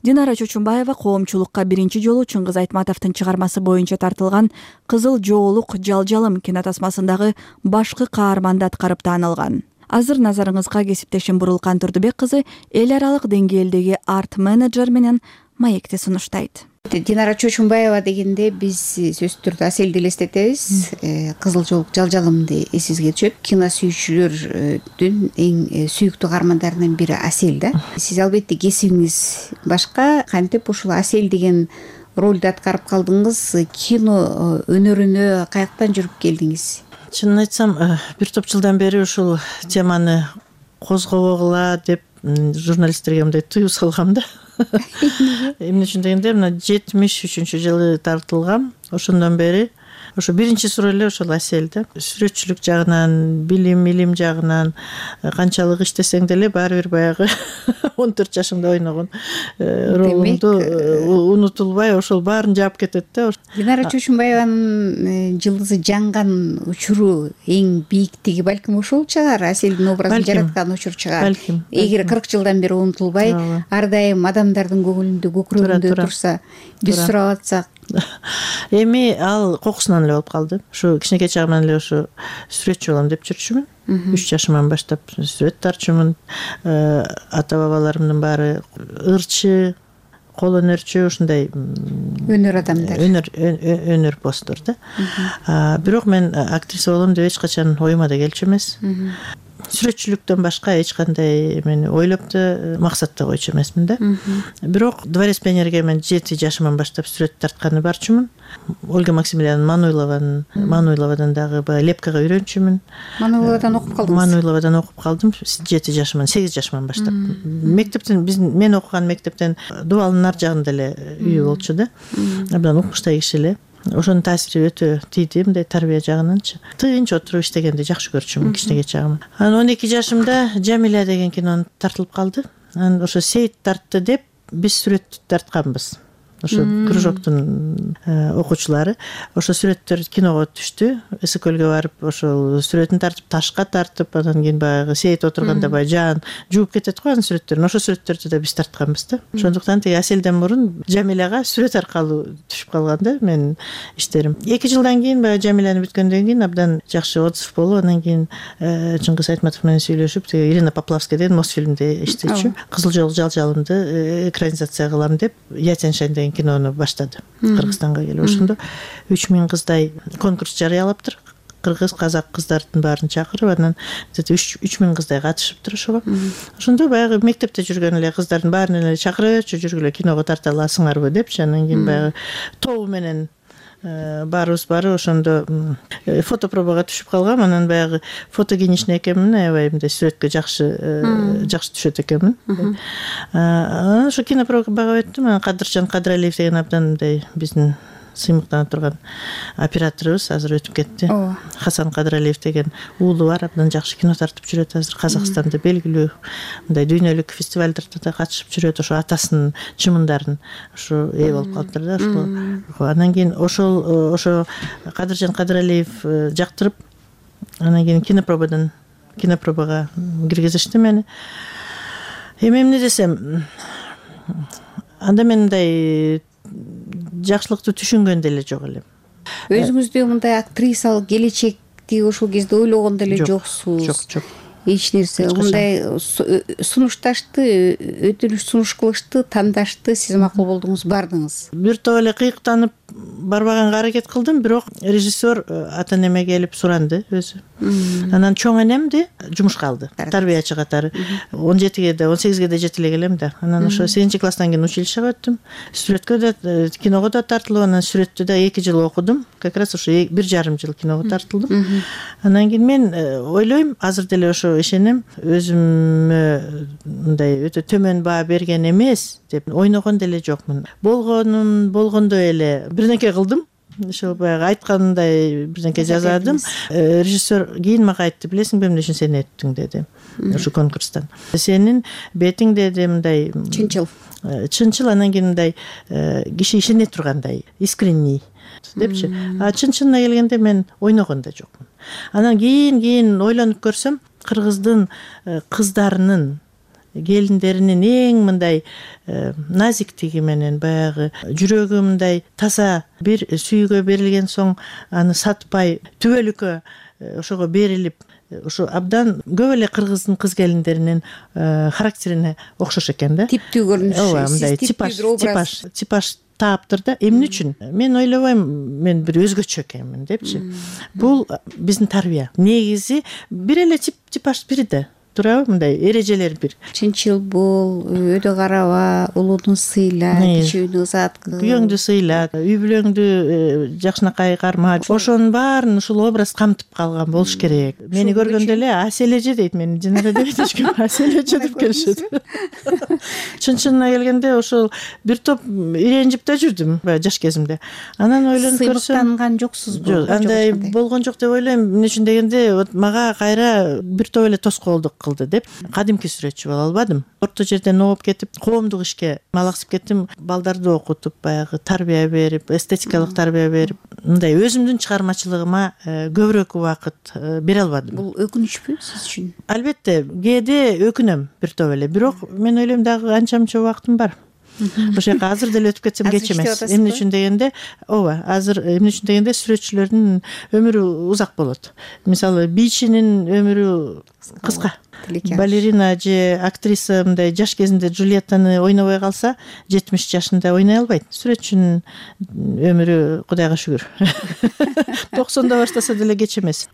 Динара Чочумбаева коомчулукка биринчи жолу Чыңгыз Айтматовдун чыгармасы боюнча тартылган Кызыл жоолук жалжалым кинотасмасындагы башкы каарманды аткарып таанылган. Азыр назарыңызга кесиптешим Бурулкан Турдубек кызы эл аралык деңгээлдеги арт-менеджер менен маекти сунуштайт. Динара Чочумбаева дегенде биз сөзсүз түрдө Аселди элестетебиз. Кызыл жоолук жалжалымды эсибизге түшөт. Кино сүйүүчүлөрдүн эң сүйүктүү каармандарынын бири Асел да. Сиз албетте кесибиңиз башка, кантип ушул Асел деген ролду аткарып калдыңыз? Кино өнөрүнө каяктан жүрүп келдиңиз? Чынын айтсам, бир топ жылдан бери ушул теманы козгобогула деп журналисттерге мындай тыюу салгам да. Эмне үчүн дегенде, мына 73-жылы тартылгам. Ошондон бери ошо биринчи суроо эле ошол Асел да. Сүрөтчүлүк жагынан, билим жагынан канчалык иштесең деле баары бир баягы 14 жашымда ойногон ролуңду унутулбай ошол баарын жаап кетет да. Динара Чочумбаеванын жылдызы жанган учуру эң бийиктиги балким ошол чыгар. Аселдин образын жараткан учур чыгар. Эгер 40 жылдан бери унутулбай, ар дайым адамдардын көңүлүндө, көкүрөгүндө турса, биз сурап атсак. Эми ал кокусунан эле болуп калды. Ушу кичинекей чагымдан эле ушу сүрөтчү болом деп жүрчүмүн. 3 жашымдан баштап сүрөт тартчумун. Ата бабаларымдын баары ырчы, кол өнөрчү, ушундай өнөр адамдар. Өнөр посттор да. Бирок мен актриса болом деп эч качан оюма да келчү эмес. Сүрөтчүлүктөн башка эч кандай мен ойлоп да максат да койчу эмесмин да. Бирок Дворец пионерге мен 7 жашымдан баштап сүрөт тартканы барчумун. Ольга Максимилиановна Мануйловадан дагы лепкага үйрөнчүмүн. Мануйловадан окуп калдыңыз? Мануйловадан окуп калдым 7 жашымдан, 8 жашымдан баштап. Мектептен мен окуган мектептен Дубалдын ар жагында эле үйү болчу да. Абдан укмуштай киши эле. Ошонун таасири өтө тийди, мындай тарбия жагынанчы. Тынч отуруп иштегенди жакшы көрчүмүн кичинекей чагым. Анан 12 жашымда Жамиля деген кино тартылып калды. Анан ошо Сейит тартты деп биз сүрөт тартканбыз. Ошо кружоктун окуучулары ошо сүрөттөр киного түштү. Эсекөлгө барып ошол сүрөтүн тартып, ташка тартып, анан кийин баягы Сейит отурганда баягы жаан жууп кетет го анын сүрөттөрүн. Ошо сүрөттөрдү да биз тартканбыз да. Ошондуктан тиги Аселден мурун Жамиляга сүрөт аркылуу түшүп калган да менин иштерим. 2 жылдан кийин баягы Жамиляны бүткөндөн кийин абдан жакшы отзыв болуп, анан кийин Чыңгыз Айтматов менен сүйлөшүп, тиги Ирина Поплавская деген Мосфильмде иштечү. Кызыл жоолук жалжалымды экранизация кылам деп Ятяншайн деген кинону баштады Кыргызстанга келип. Ошондо 3000 кыздай конкурс жарыялаптыр. Кыргыз, казак кыздардын баарын чакырып, анан 3000 кыздай катышыптыр ошого. Ошондо баягы мектепте жүргөн эле кыздардын баарын эле чакырып, жүргүлө киного тарта аласыңарбы депчи. Анан кийин баягы тобу менен баарыбыз бары ошондо фотопробага түшүп калгам. Анан баягы фото кийинишне экенмин, аябай мындай сүрөткө жакшы түшөт экенмин. Ошо кинопробага өттүм. Кадыржан Кадыралиев деген абдан мындай биздин сыймыктана турган операторубуз азыр өтүп кетти. Хасан Кадыралиев деген уулу бар, абдан жакшы кино тартып жүрөт. Азыр Казакстанда белгилүү мындай дүйнөлүк фестивалдарда да катышып жүрөт. Ошо атасынын чымындарын ошо ээ болуп калыптыр да. Анан кийин ошо Кадыржан Кадыралиев жактырып Анан кийин кинопробага киргизишти мени. Эми эмне десем, анда мен мындай жакшылыкты түшүнгөн деле жок элем. Өзүңүздү мындай актрисалык келечекти ошол кезде ойлогон деле жоксуз? Жок. Эч нерсе мындай сунушташты, өтүнүш сунуш кылышты, тандашты, сиз макул болдуңуз, бардыңыз. Бир топ эле кыйыктанып барбаганга аракет кылдым, бирок режиссер ата энеме келип суранды өзү. Анан чоң энемди жумушка алды, тарбиячы катары. 17-ге да 18-ге да жете эле келем да. Анан ошо 8-класстан кийин училищеге өттүм. Сүрөткө да, киного да тартылып, анан сүрөттү да 2 жыл окудум. Как раз ошо 1,5 жыл киного тартылдым. Анан кийин мен ойлойм, азыр деле ошо ишенем, өзүмө мындай өтө төмөн баа берген эмес деп ойногон деле жокмун. Болгондо эле бирнеке кылдым. Ошол баягы айткандай бирнеке жазадым. Режиссер кийин мага айтты, билесиңби эмне үчүн сени өттүң деди. Ошо конкурстан. Сенин бетиң деди мындай чынчыл, анан кийин мындай киши ишене тургандай, искренний депчи. А чынчына келгенде мен ойногон да жокмун. Анан кийин ойлонуп көрсөм, кыргыздын кыздарынын, келиндеринин эң мындай назиктиги менен, баягы жүрөгү мындай таза, бир сүйгө берилген соң аны сатпай, түбөлүккө ошого берилип, ошо абдан көп эле кыргыздын кыз келиндеринин характерине окшош экен да. Типтүү көрүнүшү, мындай типаж тааптыр да. Эмне үчүн? Мен ойлобойм, мен бир өзгөчө экенмин депчи. Бул биздин тарбия. Негизи бир эле типаж бири да. Туурабы, мындай эрежелер бир. Чынчыл бол, өйдө караба, улууну сыйла, кичүүнү ызаат кыл. Күйөөңдү сыйла, үй бүлөңдү жакшынакай карма. Ошонун баарын ушул образ камтып калган болуш керек. Мени көргөндө эле Асележи дейт, мени Динара дебейт эчким, Асележи деп келишет. Чынчына келгенде ошол бир топ иренжип да жүрдүм жаш кезимде. Анан ойлонуп көрсөм, сыймыктанган жоксузбу? Андай болгон жок деп ойлойм. Эмне үчүн дегенде, мага кайра бир топ эле тоскоолдук кылды деп кадимки сүрөтчү боло албадым. Орто жерден ооп кетип, коомдук ишке малаксып кеттим. Балдарды окутуп, баягы тарбия берип, эстетикалык тарбия берип, мындай өзүмдүн чыгармачылыгыма көбүрөөк убакыт бере албадым. Бул өкүнүчпү сиз үчүн? Албетте, кээде өкүнөм бир топ эле, бирок мен ойлойм дагы анча-мынча убактым бар. Ошол жака азыр деле өтүп кетсем кеч эмес. Эмне үчүн дегенде, азыр эмне үчүн дегенде сүрөтчүлөрдүн өмүрү узак болот. Мисалы, бийчинин өмүрү кыска. Балерина же актриса мындай жаш кезинде Джульеттаны ойнобой калса, 70 жашында ойной албайт. Сүрөтчүнүн өмүрү Кудайга шүгүр. 90да баштаса деле кеч эмес.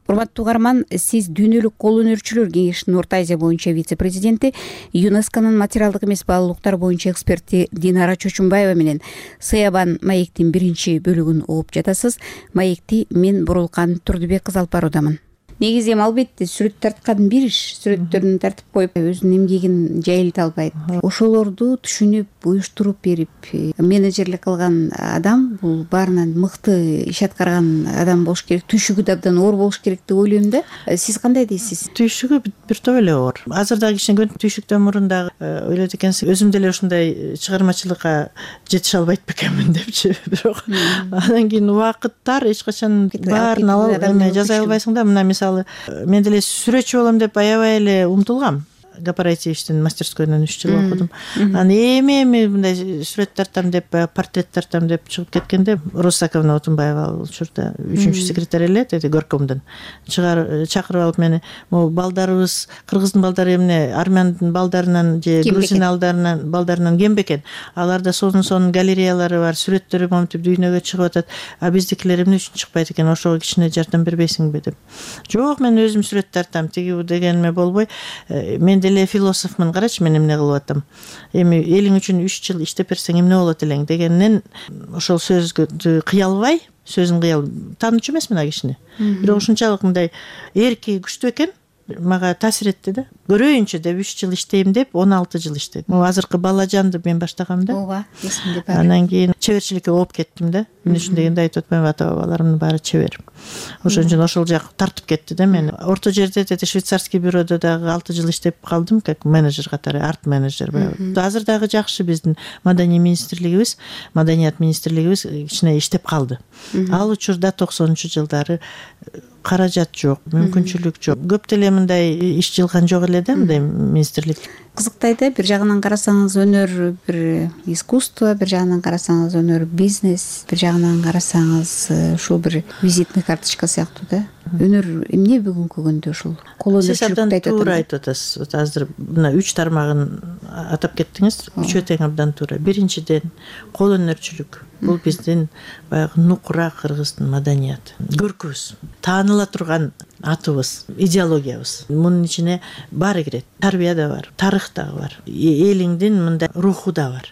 Урматтуу угарман, сиз Дүйнөлүк кол өнөрчүлөр кеңешинин Орто Азия боюнча вице-президенти, ЮНЕСКОнун материалдык эмес баалуулуктар боюнча эксперти Динара Чочумбаева менен Сыябан маектин 1-бөлүгүн угуп жатасыз. Маекти мен Бурулкан Турдубек кызы алып баруудамын. Негизи эми албетте сүрөт тарткан бир иш, сүрөттөрүн тартып коюп өзүнүн эмгегин жайылта албайт. Ошолорду түшүнүп, уюштуруп берип, менеджерлик кылган адам бул баарынан мыкты иш аткарган адам болуш керек, түйшүгү да абдан оор болуш керек деп ойлойм да. Сиз кандай дейсиз? Түйшүгү бир топ эле оор. Азыр дагы ишенгөн, түйшүктөн мурун дагы ойлойт экенсиң, өзүм деле ушундай чыгармачылыкка жетише албайт бекенмин депчи. Бирок андан кийин убакыттар эч качан баарын алып жаза албайсың да. Мына мисалы, мен деле сүрөтчү болом деп аябай эле умтулгам. Гапараевичтин мастерскойунан 3 жыл окудум. Анан эми мындай сүрөт тартам деп, портрет тартам деп чыгып кеткенде, Русаковна Отунбаева учурда 3-чү секретарь эле деди горкомдон. Чакырып алып мени, могу балдарыбыз, кыргыздын балдары эмне армяндын балдарынан же грузин балдарынан кем бекен. Аларда сонун галереялары бар, сүрөттөрү монтип дүйнөгө чыгып атат. А биздикилер эмне үчүн чыкпайт экен? Ошого кичине жардам бербейсиңби деп. Жок, мен өзүм сүрөт тартам, тиги дегениме болбой, мен деле философмун, карачы мен эмне кылып атам. Эми элиң үчүн 3 жыл иштеп берсең эмне болот элең дегеннен ошол сөзгө кыялбай, сөзүн кыял таанычу эмесмин а кишини. Бирок ушунчалык мындай эрки күчтүү экен, мага таасир этти да. көрөйүнчө деп 3 жыл иштейм деп 16 жыл иштедим. Азыркы Балажанды мен баштагам да. Ооба, эсимде бар. Анан кийин чеберчиликке болуп кеттим да. Эмне үчүн дегенде айтып атпайбы, ата бабаларымдын баары чебер. Ошон үчүн ошол жак тартып кетти да мени. Орто жерде швейцарский бюродо дагы 6 жыл иштеп калдым, как менеджер катары, арт менеджер. Азыр дагы жакшы биздин маданий министрлигибиз, маданият министрлигибиз кичине иштеп калды. Ал учурда 90-жылдары каражат жок, мүмкүнчүлүк жок. Көп деле мындай иш жылган жок эле да, мындай министрлик. Кызыктай да, бир жагынан карасаңыз өнөр бир искусство, бир жагынан карасаңыз өнөр бизнес, бир жагынан карасаңыз ушул бир визитный карточка сыяктуу да. Өнөр эмне бүгүнкү күндө ушул кол өнөрчүлүктү айтып туура айтып атасыз. Азыр мына 3 тармагын атап кеттиңиз. Үчөө тең абдан туура. Биринчиден, кол өнөрчүлүк. Бул биздин баягы нукура кыргыздын маданияты. Көркүбүз, тааныла турган атыбыз, идеологиябыз. Мунун ичине баары кирет. Тарбия да бар, тарых да бар. Элиңдин мындай руху да бар.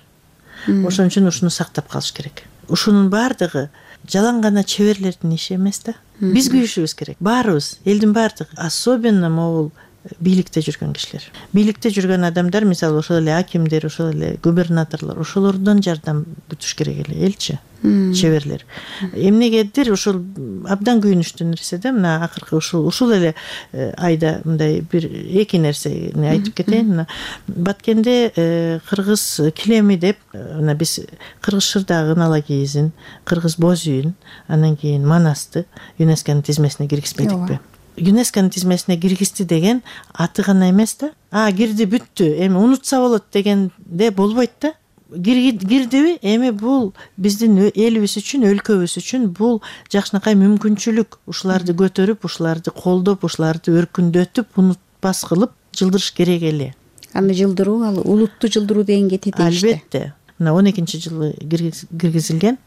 Ошон үчүн ушуну сактап калыш керек. Ушунун баардыгы жалаң гана чеберлердин иши эмес да. Биз күйүшүбүз керек. Баарыбыз, элдин баардыгы, особенно могул бийликте жүргөн кишилер. Бийликте жүргөн адамдар, мисалы ошол эле акимдер, ошол эле губернаторлор, ошолордон жардам күтүш керек эле, элчи, чеберлер. Эмнегедир ушул абдан күйүнүчтүү нерсе да, мына акыркы ушул эле айда мындай бир эки нерсени айтып кетейин. Баткенде кыргыз килеми деп, мына биз кыргыз шырдагын ала кийизин, кыргыз боз үйүн, анан кийин манасты ЮНЕСКОнун тизмесине киргизбедикпи? ЮНЕСКОнун тизмесине киргизди деген аты гана эмес да. Кирди, бүттү, эми унутса болот дегенде болбойт да. Кирдиби? Эми бул биздин элибиз үчүн, өлкөбүз үчүн бул жакшынакай мүмкүнчүлүк. Ушуларды көтөрүп, ушуларды колдоп, ушуларды өркүндөтүп, унутпас кылып жылдырыш керек эле. Аны жылдыруу, ал улутту жылдыруу деген кетет дейишти. Албетте. Мына 12-жылы киргизилген,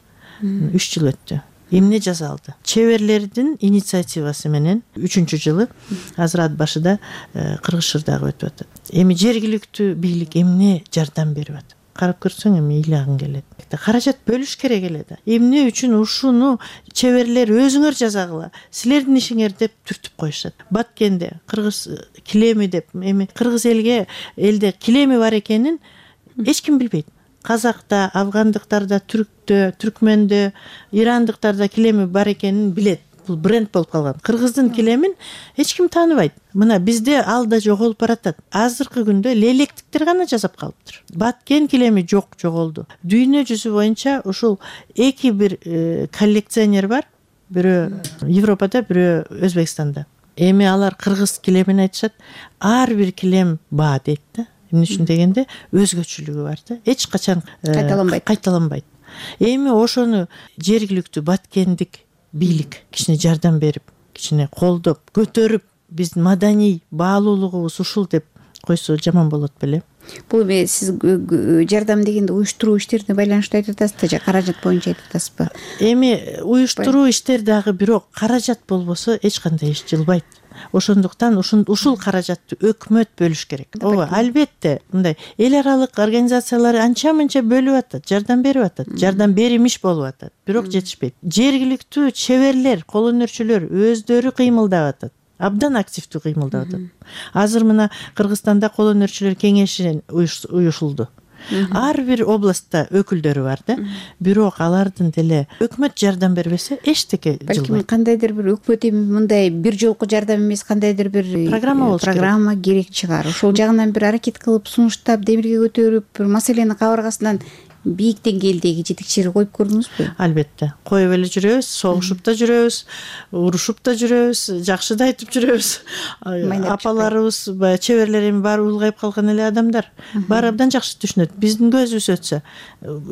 3 жыл өттү. Эмне жасалды? Чеберлердин инициативасы менен 3-жылы азыр ат башыда кыргыз шырдагы өтүп атат. Эми жергиликтүү бийлик эмне жардам берип атат? Карап көрсөң эми ыйлагың келет. Каражат бөлүш керек эле да. Эмне үчүн ушуну чеберлер өзүңөр жазагыла, силердин ишиңер деп түртүп коюшат. Баткенде кыргыз килеми деп, эми кыргыз элде килеми бар экенин эч ким билбейт. Казакта, афгандыктарда, түрктө, түркмөндө, ирандыктарда килеми бар экенин билет. Бул бренд болуп калган. Кыргыздын килемин эч ким тааныбайт. Мына бизде ал да жоголуп баратат. Азыркы күндө лелектиктер гана жасап калыптыр. Баткен килеми жок, жоголду. Дүйнө жүзү боюнча ушул эки бир коллекционер бар. Бирөө Европада, бирөө Өзбекстанда. Эми алар кыргыз килемин айтышат. Ар бир килем баа дейт да. Эмне үчүн дегенде өзгөчөлүгү бар да. Эч качан кайталанбайт. Эми ошону жергиликтүү баткендик бийлик кичине жардам берип, кичине колдоп, көтөрүп, биздин маданий баалуулугубуз ушул деп койсо жаман болот беле. Бул сиз жардам дегенде уюштуруу иштерине байланыштуу айтып атасызбы же каражат боюнча айтып атасызбы? Эми уюштуруу иштер дагы бирок каражат болбосо эч кандай иш жылбайт. Ошондуктан ушул каражатты өкмөт бөлүш керек. Ооба, албетте, мындай эл аралык организациялар анча-мынча бөлүп атат, жардам берип атат, жардам беримиш болуп атат, бирок жетишпейт. Жергиликтүү чеберлер, кол өнөрчүлөр өздөрү кыймылдап атат. Абдан активдүү кыймылдап атат. Азыр мына Кыргызстанда кол өнөрчүлөр кеңеши уюшулду. Ар бир областта өкүлдөрү бар да. Бирок алардын деле өкмөт жардам бербесе эчтеке жылбайт. Балким кандайдыр бир өкмөт эми мындай бир жолку жардам эмес, кандайдыр бир программа керек чыгар. Ошол жагынан бир аракет кылып, сунуштап, демирге көтөрүп, бир маселени кабыргасынан бийик деңгээлдеги жетекчилер коюп көрдүңүзбү? Албетте. Коюп эле жүрөбүз, согушуп да жүрөбүз, урушуп да жүрөбүз, жакшы да айтып жүрөбүз. Апаларыбыз, чеберлер эми баары улгайып калган эле адамдар. Баары абдан жакшы түшүнөт. Биздин көзүбүз өтсө,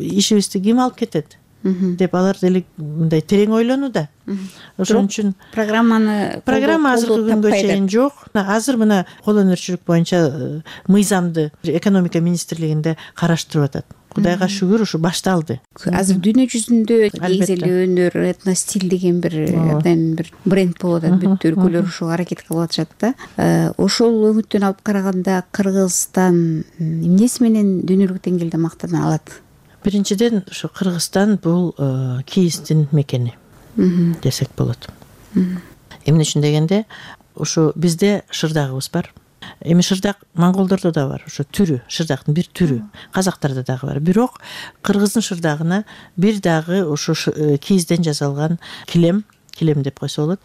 ишибизди ким алып кетет деп алар деле мындай терең ойлонууда. Ошон үчүн программа азыркы күнгө чейин жок. Азыр мына кол өнөрчүлүк боюнча мыйзамды экономика министрлигинде караштырып атат. Кудайга шүгүр, ушу башталды. Азыр дүйнө жүзүндө негизи эле өнөр, этностиль деген бир абдан бир бренд болуп атат. Бүт өлкөлөр ушуга аракет кылып атышат да. Ошол үмүттөн алып караганда Кыргызстан эмнеси менен дүйнөлүк деңгээлде мактана алат? Биринчиден, ушу Кыргызстан бул кийиздин мекени десек болот. Эмне үчүн дегенде, ушу бизде шырдагыбыз бар. Эми шырдак монголдордо да бар, ошо түрү, шырдактын бир түрү. Казактарда дагы бар. Бирок кыргыздын шырдагына бир дагы ошо кийизден жасалган килем деп койсо болот,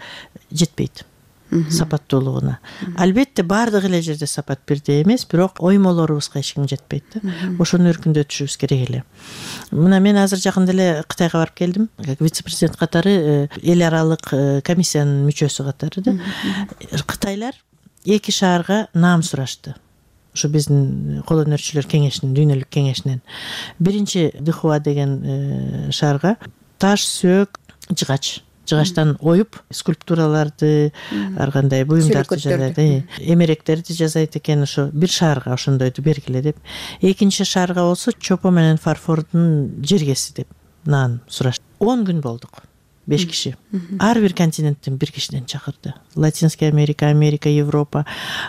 жетпейт. Сапаттуулугуна. Албетте баардык эле жерде сапат бирдей эмес, бирок оймолорубузга эч ким жетпейт да. Ошону өркүндөтүшүбүз керек эле. Мына мен азыр жакында эле Кытайга барып келдим. Вице-президент катары, эл аралык комиссиянын мүчөсү катары да. Кытайлар 2 шаарга наам сурашты. Ошо биздин кол өнөрчүлөр кеңешинин, дүйнөлүк кеңешинен. Биринчи Дыхуа деген шаарга таш, сөк, жыгачтан оюп скульптураларды, ар кандай буюмдарды жасайт, эмеректерди жасайт экен. Ошо бир шаарга ошондойду бергиле деп. Экинчи шаарга болсо чопо менен фарфордун жергеси деп наан сурашты. 10 күн болдук. 5 киши. Ар бир континенттен бир кишиден чакырды. Латинская Америка, Европа,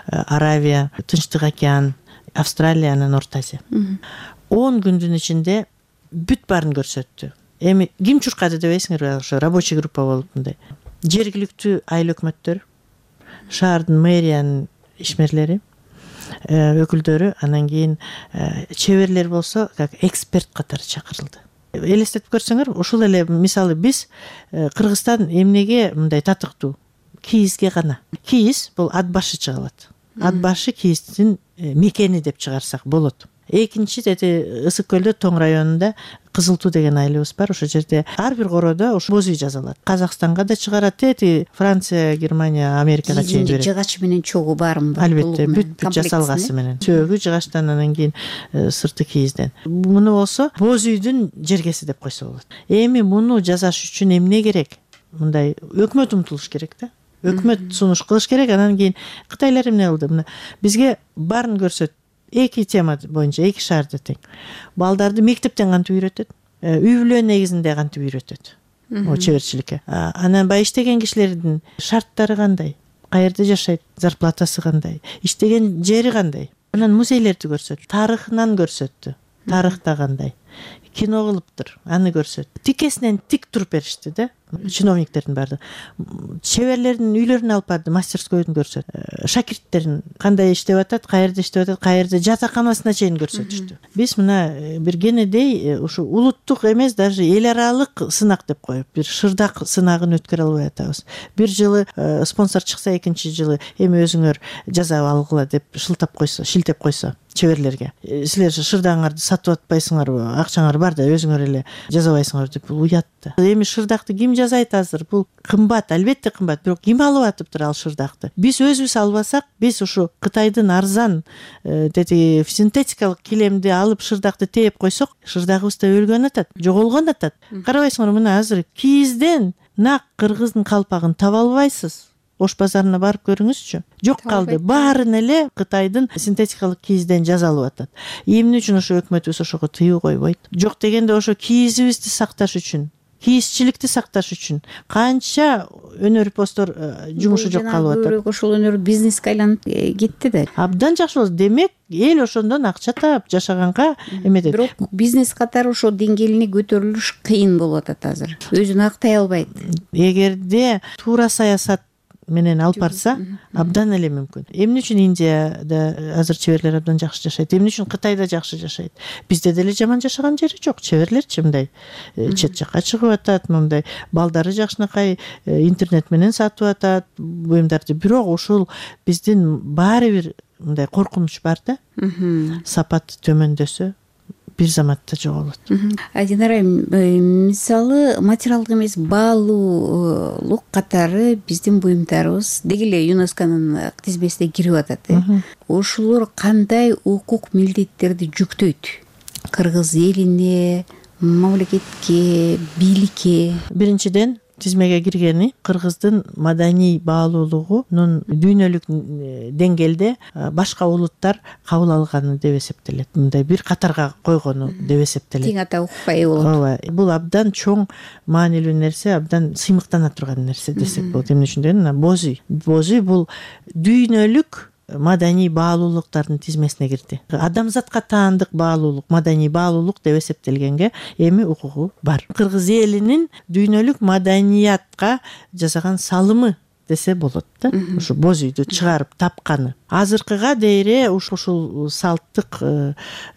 Аравия, Тынчтык океан, Австралия, анан Орто Азия. 10 күндүн ичинде бүт баарын көрсөттү. Эми ким чуркады дебейсиңерби, ошо рабочий группа болуп мындай. Жергиликтүү айыл өкмөттөр, шаардын мэриянын ишмерлери, өкүлдөрү, анан кийин чеберлер болсо, как эксперт катары чакырылды. Элестетип көрсөңөр, ушул эле мисалы биз Кыргызстан эмнеге мындай татыктуу? Кийизге гана. Кийиз бул ат башы чыгалат. Ат башы кийиздин мекени деп чыгарсак болот. Экинчи Ысык көлдө Тоң районунда Кызыл Туу деген айылыбыз бар. Ошол жерде ар бир кородо ошо боз үй жасалат. Казакстанга да чыгарат, Франция, Германия, Америкага чейин берет. Жыгач менен чогу бармы? Албетте, бүт жасалгасы менен. Сөөгү жыгачтан, анан кийин сырты кийизден. Муну болсо боз үйдүн жергеси деп койсо болот. Эми муну жасаш үчүн эмне керек? Мындай өкмөт умтулуш керек да. Өкмөт сунуш кылыш керек. Анан кийин кытайлар эмне кылды? Мына бизге баарын көрсөт. 2 тема боюнча 2 шаарда тең. Балдарды мектептен кантип үйрөтөт? Үй бүлө негизинде кантип үйрөтөт? Чеберчиликке. Анан бай иштеген кишилердин шарттары кандай? Каерде жашайт? Зарплатасы кандай? Иштеген жери кандай? Анан музейлерди көрсөт, тарыхынан көрсөттү. Тарыхта кандай? Кино кылыптыр, аны көрсөт. Тикесинен тик туруп беришти да. Чиновниктердин баардыгы. Чеберлердин үйлөрүнө алып барды, мастерскойдун көрсөт. Шакирттерин кандай иштеп атат, каерде иштеп атат, каерде жатаканасына чейин көрсөтүштү. Биз мына бир кенедей ушу улуттук эмес, даже эл аралык сынак деп коюп, бир шырдак сынагын өткөрө албай атабыз. Бир жылы спонсор чыкса, экинчи жылы эми өзүңөр жасап алгыла деп шилтеп койсо чеберлерге. Силер шырдагыңарды сатып атпайсыңарбы? Акчаңар бар да, өзүңөр эле жасабайсыңар деп уят да. Эми шырдакты ким жасайт азыр? Бул кымбат, албетте кымбат, бирок ким алып атыптыр ал шырдакты? Биз өзүбүз албасак, биз ушу Кытайдын арзан синтетикалык килемди алып шырдакты тээп койсок, шырдагыбыз да өлгөн атат, жоголгон атат. Карабайсыңар, мына азыр кийизден нак кыргыздын калпагын таба албайсыз. Ош базарына барып көрүңүзчү. Жок калды. Баарын эле Кытайдын синтетикалык кийизден жасалып атат. Эмне үчүн ошо өкмөтүбүз ошого тыюу койбойт? Жок дегенде ошо кийизибизди сакташ үчүн, кийизчиликти сакташ үчүн канча өнөрпоздор жумушу жок калып атат. Ошол өнөр бизнеске айланып кетти да. Абдан жакшы болду. Демек, эл ошондон акча таап жашаганга эмедет. Бирок бизнес катары ошо деңгээлине көтөрүлүш кыйын болуп атат азыр. Өзүн актай албайт. Эгерде туура саясат менен алып барса, абдан эле мүмкүн. Эмне үчүн Индияда азыр чеберлер абдан жакшы жашайт? Эмне үчүн Кытайда жакшы жашайт? Бизде деле жаман жашаган жери жок. Чеберлерчи мындай чет жакка чыгып атат, мындай балдары жакшынакай интернет менен сатып атат буюмдарды. Бирок ушул биздин баары бир мындай коркунуч бар да. Сапат төмөндөсө бир заматта жоголот. Динара, мисалы материалдык эмес баалуулук катары биздин буюмдарыбыз деги эле ЮНЕСКОнун тизмесине кирип атат. Ошолор кандай укук милдеттерди жүктөйт? Кыргыз элине, мамлекетке, бийликке? Биринчиден тизмеге киргени кыргыздын маданий баалуулугунун дүйнөлүк деңгээлде башка улуттар кабыл алганы деп эсептелет. Мындай бир катарга койгону деп эсептелет. Тең ата укпай болот. Ооба, бул абдан чоң маанилүү нерсе, абдан сыймыктана турган нерсе десек болот. Эмне үчүн дегенде, боз үй. Боз үй бул дүйнөлүк маданий баалуулуктардын тизмесине кирди. Адамзатка таандык баалуулук, маданий баалуулук деп эсептелгенге эми укугу бар. Кыргыз элинин дүйнөлүк маданиятка жасаган салымы десе болот да. Ушу боз үйдү чыгарып тапканы азыркыга дейре ушул салттык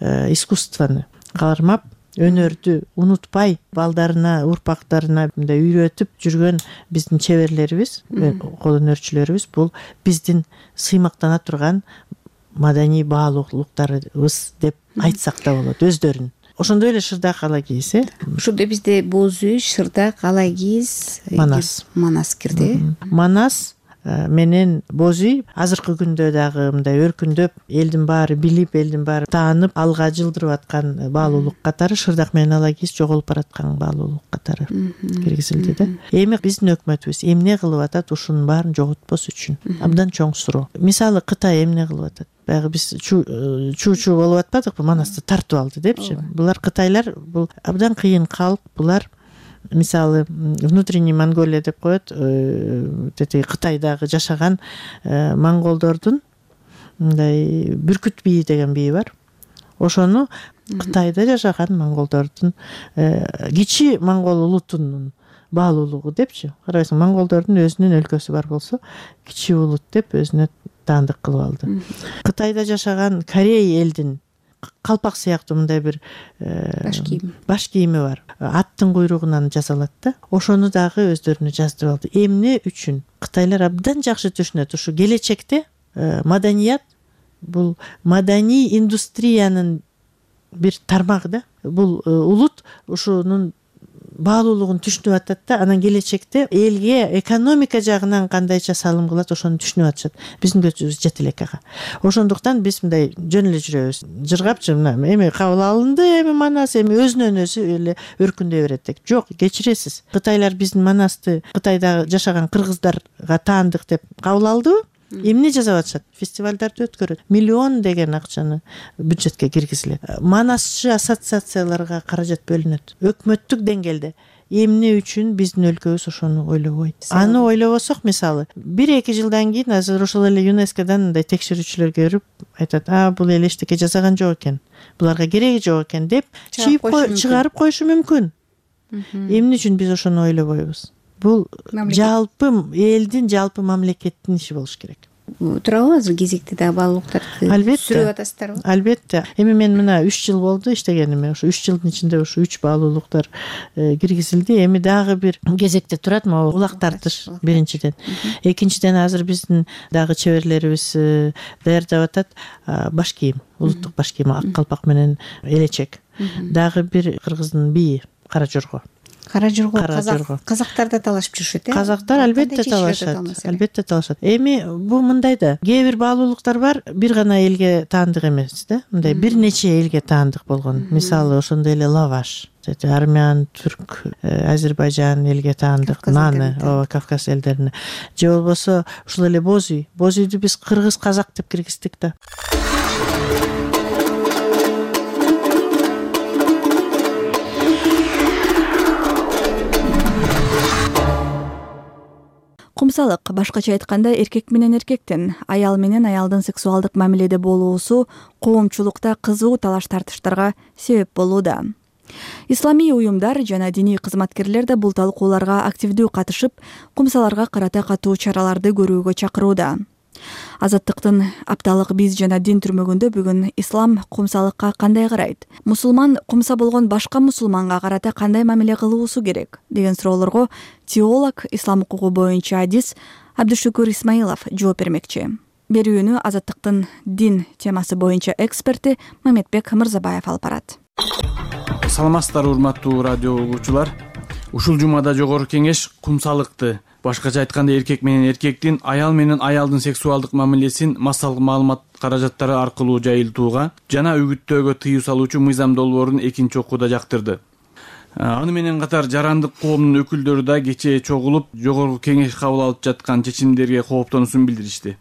искусствону кармап, өнөрдү унутпай балдарына, урпактарына мындай үйрөтүп жүргөн биздин чеберлерибиз, кол өнөрчүлөрүбүз бул биздин сыймактана турган маданий баалуулуктарыбыз деп айтсак да болот өздөрүн. Ошондой эле шырдак ала кийиз, ошондо бизде боз үй, шырдак, ала кийиз, манас кирди. Манас менен боз үй азыркы күндө дагы мындай өркүндөп, элдин баары билип, элдин баары таанып, алга жылдырып аткан баалуулук катары шырдак менен ала кийиз жоголуп бараткан баалуулук катары киргизилди да. Эми биздин өкмөтүбүз эмне кылып атат ушунун баарын жоготпос үчүн? Абдан чоң суроо. Мисалы Кытай эмне кылып атат? Баягы биз чуу болуп атпадыкпы, Манасты тартып алды депчи. Булар Кытайлар бул абдан кыйын калк, булар мисалы внутренний Монголия деп коет, тети Кытайдагы жашаган монголдордун мындай бүркүт бийи деген бийи бар. Ошону Кытайда жашаган монголдордун кичи монгол улутунун баалуулугу депчи. Карабайсың, монголдордун өзүнүн өлкөсү бар болсо, кичи улут деп өзүнө таандык кылып алды. Кытайда жашаган Корей элдин калпак сыяктуу мындай бир баш кийими бар. Аттын куйругунан жасалат да. Ошону дагы өздөрүнө жаздырып алды. Эмне үчүн? Кытайлар абдан жакшы түшүнөт. Ушу келечекте маданият бул маданий индустриянын бир тармагы да. Бул улут ушунун баалуулугун түшүнүп атат да, анан келечекте элге экономика жагынан кандайча салым кылат, ошону түшүнүп атышат. Биздин көзүбүз жете элек ага. Ошондуктан биз мындай жөн эле жүрөбүз. Жыргапчы эми кабыл алынды, эми Манас эми өзүнөн өзү эле өркүндөй берет деп. Жок, кечиресиз. Кытайлар биздин Манасты Кытайда жашаган кыргыздарга таандык деп кабыл алдыбы? Эмне жасап атышат? Фестивалдарды өткөрөт. Миллион деген акчаны бюджетке киргизилет. Манасчы ассоциацияларга каражат бөлүнөт. Өкмөттүк деңгээлде. Эмне үчүн биздин өлкөбүз ошону ойлобойт? Аны ойлобосок, мисалы, 1-2 жылдан кийин азыр ошол эле ЮНЕСКОдан мындай текшерүүчүлөр көрүп айтат, бул эле эчтеке жасаган жок экен. Буларга кереги жок экен деп чыгарып коюшу мүмкүн. Эмне үчүн биз ошону ойлобойбуз? Бул жалпы элдин, жалпы мамлекеттин иши болуш керек. Турабы азыр кезекте дагы баалуулуктарды сүрүп атасыздарбы? Албетте. Эми мен мына 3 жыл болду иштегениме. Ошо 3 жылдын ичинде ошо 3 баалуулуктар киргизилди. Эми дагы бир кезекте турат, могу улак тартыш биринчиден. Экинчиден азыр биздин дагы чеберлерибиз даярдап атат баш кийим, улуттук баш кийим, ак калпак менен элечек. Дагы бир кыргыздын бийи Кара жорго. Казактар да талашып жүрүшөт, Казактар албетте талашат. Эми бул мындай да, кээ бир баалуулуктар бар, бир гана элге таандык эмес да, мындай бир нече элге таандык болгон. Мисалы, ошондой эле лаваш, армян, түрк, Азербайжан элге таандык, наны, Кавказ элдерине. Же болбосо ушул эле боз үй. Боз үйдү биз кыргыз, казак деп киргиздик да. Кумсалык, башкача айтканда, эркек менен эркектин, аял менен аялдын сексуалдык мамиледе болуусу коомчулукта кызуу талаш тартыштарга себеп болууда. Исламий уюмдар жана диний кызматкерлер да бул талкууларга активдүү катышып, кумсаларга карата катуу чараларды көрүүгө чакырууда. Азаттыктын апталык биз жана дин түрмөгүндө бүгүн ислам кумсалыкка кандай карайт? Мусулман кумса болгон башка мусулманга карата кандай мамиле кылуусу керек деген суроолорго теолог, ислам укугу боюнча адис Абдушукур Исмаилов жооп бермекчи. Берүүнү Азаттыктын дин темасы боюнча эксперти Мамедбек Мырзабаев алып барат. Саламатсыздарбы, урматтуу радио угуучулар. Ушул жумада жогорку кеңеш кумсалыкты, башкача айтканда эркек менен эркектин, аял менен аялдын сексуалдык мамилесин массалык маалымат каражаттары аркылуу жайылтууга жана үгүттөөгө тыюу салуучу мыйзам долбоорун экинчи окууда жактырды. Аны менен катар жарандык коомдун өкүлдөрү да кечээ чогулуп, жогорку кеңеш кабыл алып жаткан чечимдерге кооптонуусун билдиришти.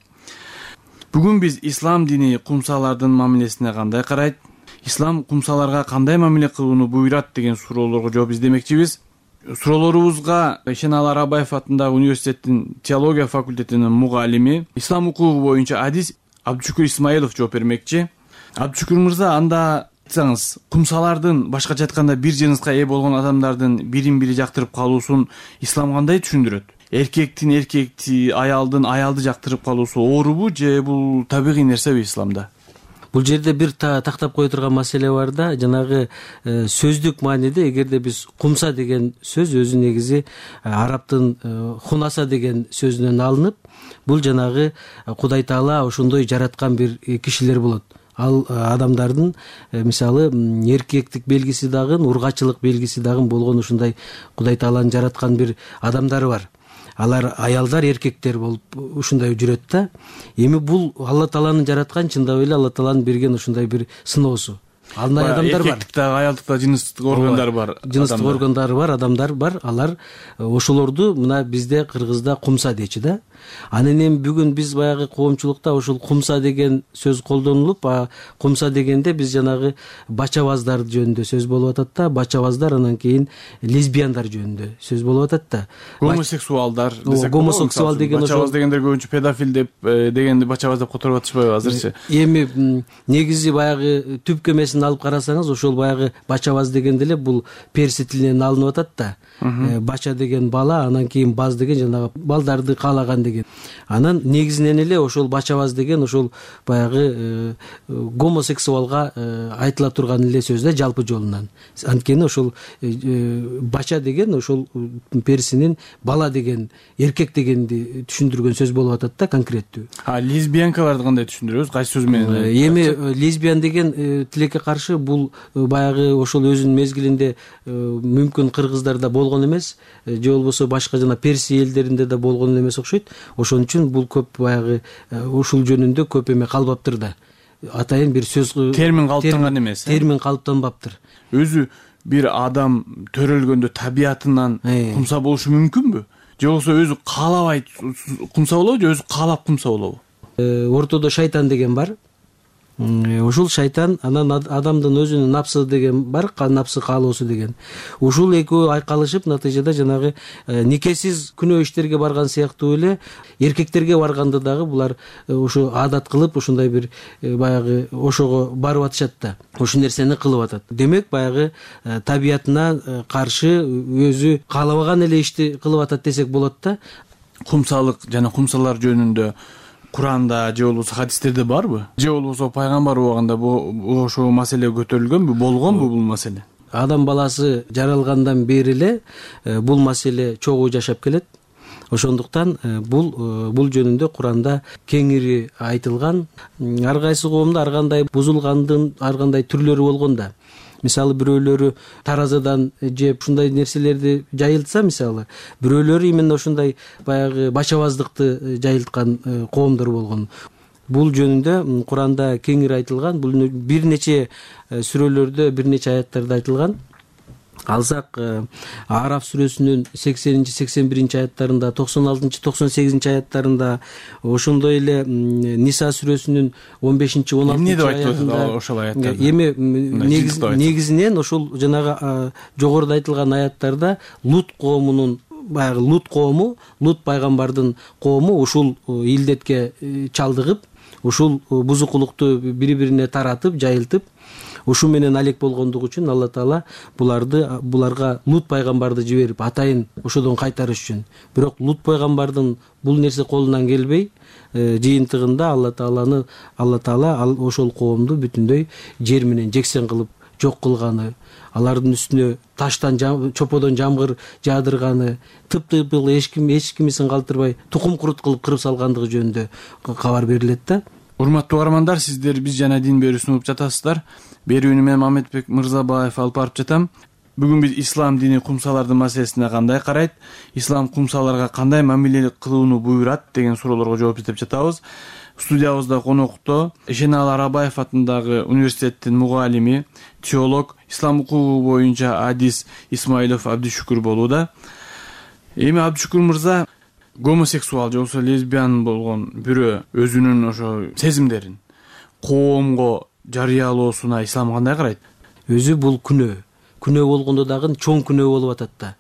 Бүгүн биз ислам дини кумсалардын мамилесине кандай карайт, ислам кумсаларга кандай мамиле кылууну буйрат деген суроолорго жооп издемекчибиз. Суроолорубузга Шенал Арабаев атындагы университеттин теология факультетинин мугалими, ислам укугу боюнча адис Абдушукур Исмаилов жооп бермекчи. Абдушукур мырза, анда айтсаңыз, кумсалардын, башкача айтканда, бир жыныска ээ болгон адамдардын бирин бири жактырып калуусун ислам кандай түшүндүрөт? эркекти аялды жактырып калуусу оорубу же бул табигый нерсеби исламда? Бул жерде бир тактап кое турган маселе бар да, жанагы сөздүк мааниде эгерде биз кумса деген сөз өзү негизи арабтын хунаса деген сөзүнөн алынып, бул жанагы Кудай Таала ошондой жараткан бир кишилер болот. Ал адамдардын мисалы эркектик белгиси дагы, ургачылык белгиси дагы болгон ушундай Кудай Тааланын жараткан бир адамдары бар. Алар аялдар, эркектер болуп ушундай жүрөт да. Эми бул Алла Тааланын жараткан, чындап эле Алла Тааланын берген ушундай бир сыноосу. Андай адамдар бар. Эркектикте, аялдыкта жыныстык органдары бар. Жыныстык органдары бар, адамдар бар. Алар ошолорду мына бизде Кыргызда кумса дейчи да. Анан эми бүгүн биз баягы коомчулукта ушул кумса деген сөз колдонулуп, кумса дегенде биз жанагы бачабаздар жөнүндө сөз болуп атат да, бачабаздар анан кийин лесбияндар жөнүндө сөз болуп атат да. Гомосексуалдар десек, гомосексуал деген бачабаз дегендер көбүнчө педофил деп дегенди бачабаз деп которуп атышпайбы азырчы? Эми негизи баягы түпкөмесин алып карасаңыз, ошол баягы бачабаз дегенде эле бул перси тилинен алынып атат да. Бача деген бала, анан кийин баз деген жанагы балдарды каалаган деген. Анан негизинен эле ошол бачабаз деген ошол баягы гомосексуалга айтыла турган эле сөз да, жалпы жолунан. Анткени ошол бача деген ошол персинин бала деген, эркек дегенди түшүндүргөн сөз болуп атат да, конкреттүү. Лесбиянкаларды кандай түшүндүрөбүз? Кайсы сөз менен? Эми лесбиян деген тилекке каршы бул баягы ошол өзүнүн мезгилинде мүмкүн кыргыздарда болгон эмес, же болбосо башка жана перси элдеринде да болгон эмес окшойт. Ошон үчүн бул көп баягы ушул жөнүндө көп эме калбаптыр да. Атайын бир сөз термин калыптанган эмес. Термин калыптанбаптыр. Өзү бир адам төрөлгөндө табиятынан кумса болушу мүмкүнбү? Же болбосо өзү каалабай кумса болобу, же өзү каалап кумса болобу? Ортодо шайтан деген бар. Ушул шайтан, анан адамдын өзүнүн напсы деген бар, напсы каалоосу деген. Ушул экөө айкалышып, натыйжада жанагы никесиз күнөө иштерге барган сыяктуу эле эркектерге барганда дагы булар ушу адат кылып, ушундай бир баягы ошого барып атышат да. Ушул нерсени кылып атат. Демек баягы табиятына каршы өзү каалабаган эле ишти кылып атат десек болот да. Кумсалык жана кумсалар жөнүндө Куранда же болбосо хадистерде барбы? Же болбосо пайгамбар убагында ошол маселе көтөрүлгөнбү, болгонбу бул маселе? Адам баласы жаралгандан бери эле бул маселе чогуу жашап келет. Ошондуктан бул жөнүндө Куранда кеңири айтылган. Ар кайсы коомдо ар кандай бузулгандын ар кандай түрлөрү болгон да. Мисалы бирөөлөрү таразадан жеп ушундай нерселерди жайылтса, мисалы бирөөлөрү именно ушундай баягы бачабаздыкты жайылткан коомдор болгон. Бул жөнүндө Куранда кеңири айтылган, бул бир нече сүрөлөрдө, бир нече аяттарда айтылган. Алсак Араф сүрөсүнүн 80-81 аяттарында, 96-98 аяттарында, ошондой эле Ниса сүрөсүнүн 15-16 аятында ошол аяттарда. Эми негизинен ошол жанагы жогоруда айтылган аяттарда Лут коомунун баягы Лут коому, Лут пайгамбардын коому ушул илдетке чалдыгып, ушул бузукулукту бири-бирине таратып, жайылтып, ушу менен алек болгондугу үчүн Алла Таала буларга Лут пайгамбарды жиберип, атайын ошодон кайтарыш үчүн. Бирок Лут пайгамбардын бул нерсе колунан келбей, жыйынтыгында Алла Таала ошол коомду бүтүндөй жер менен жексен кылып жок кылганы, алардын үстүнө таштан чоподон жамгыр жаадырганы, тып-тыйпыл эч кимисин калтырбай тукум курут кылып кырып салгандыгы жөнүндө кабар берилет да. Урматтуу угармандар, сиздер Биз жана дин берүүсүн угуп жатасыздар. Берүүнү мен Мамедбек Мырзабаев алып барып жатам. Бүгүн биз ислам дини кумсалардын маселесине кандай карайт, ислам кумсаларга кандай мамиле кылууну буйрат деген суроолорго жооп издеп жатабыз. Студиябызда конокто Эшенал Арабаев атындагы университеттин мугалими, теолог, ислам укугу боюнча адис Исмаилов Абдишүкүр болууда. Эми Абдишүкүр мырза, гомосексуал же болбосо лесбиян болгон бирөө өзүнүн ошо сезимдерин коомго жарыялоосуна ислам кандай карайт? Өзү бул күнөө болгондо дагы чоң күнөө болуп атат да.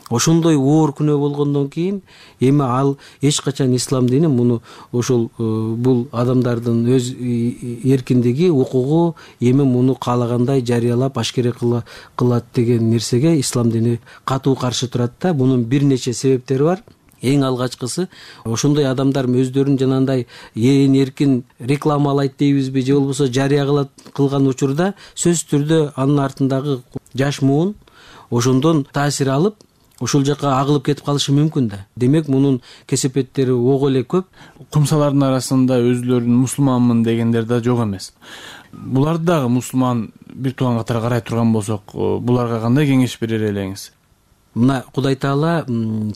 Ошондой оор күнөө болгондон кийин эми ал эч качан ислам дини муну ошол бул адамдардын өз эркиндиги, укугу, эми муну каалагандай жарыялап ашкере кылат деген нерсеге ислам дини катуу каршы турат да. Мунун бир нече себептери бар. эң алгачкысы ошондой адамдар өздөрүн жанагындай эркин рекламалайт дейбизби же болбосо жарыя кылган учурда сөзсүз түрдө анын артындагы жаш муун ошондон таасир алып ошол жака агылып кетип калышы мүмкүн да. Демек мунун кесепеттери ого эле көп. Кумсалардын арасында өзүлөрүн мусулманмын дегендер да жок эмес. Буларды дагы мусулман бир тууган катары карай турган болсок, буларга кандай кеңеш берер элеңиз? Мына Кудай Таала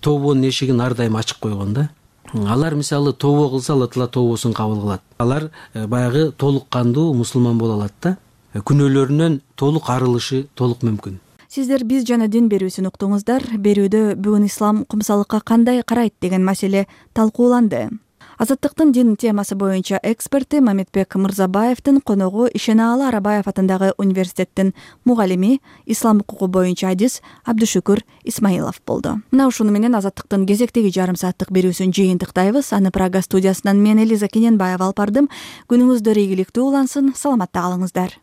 тобонун эшигин ар дайым ачык койгон да. Алар мисалы тобо кылса, Алла Таала тобосун кабыл кылат. Алар баягы толук кандуу мусулман боло алат да. Күнөөлөрүнөн толук арылышы толук мүмкүн. Сиздер биз жана дин берүүсүн уктуңуздар. Берүүдө бүгүн ислам кумсалыкка кандай карайт деген маселе талкууланды. Азаттыктын дин темасы боюнча эксперти Мамедбек Мырзабаевдин коногу Ишенаалы Арабаев атындагы университеттин мугалими, ислам укугу боюнча адис Абдушүкүр Исмаилов болду. Мына ушуну менен Азаттыктын кезектеги жарым сааттык берүүсүн жыйынтыктайбыз. Аны Прага студиясынан мен Элиза Кененбаева алып бардым. Күнүңүздөр ийгиликтүү улансын, саламатта калыңыздар.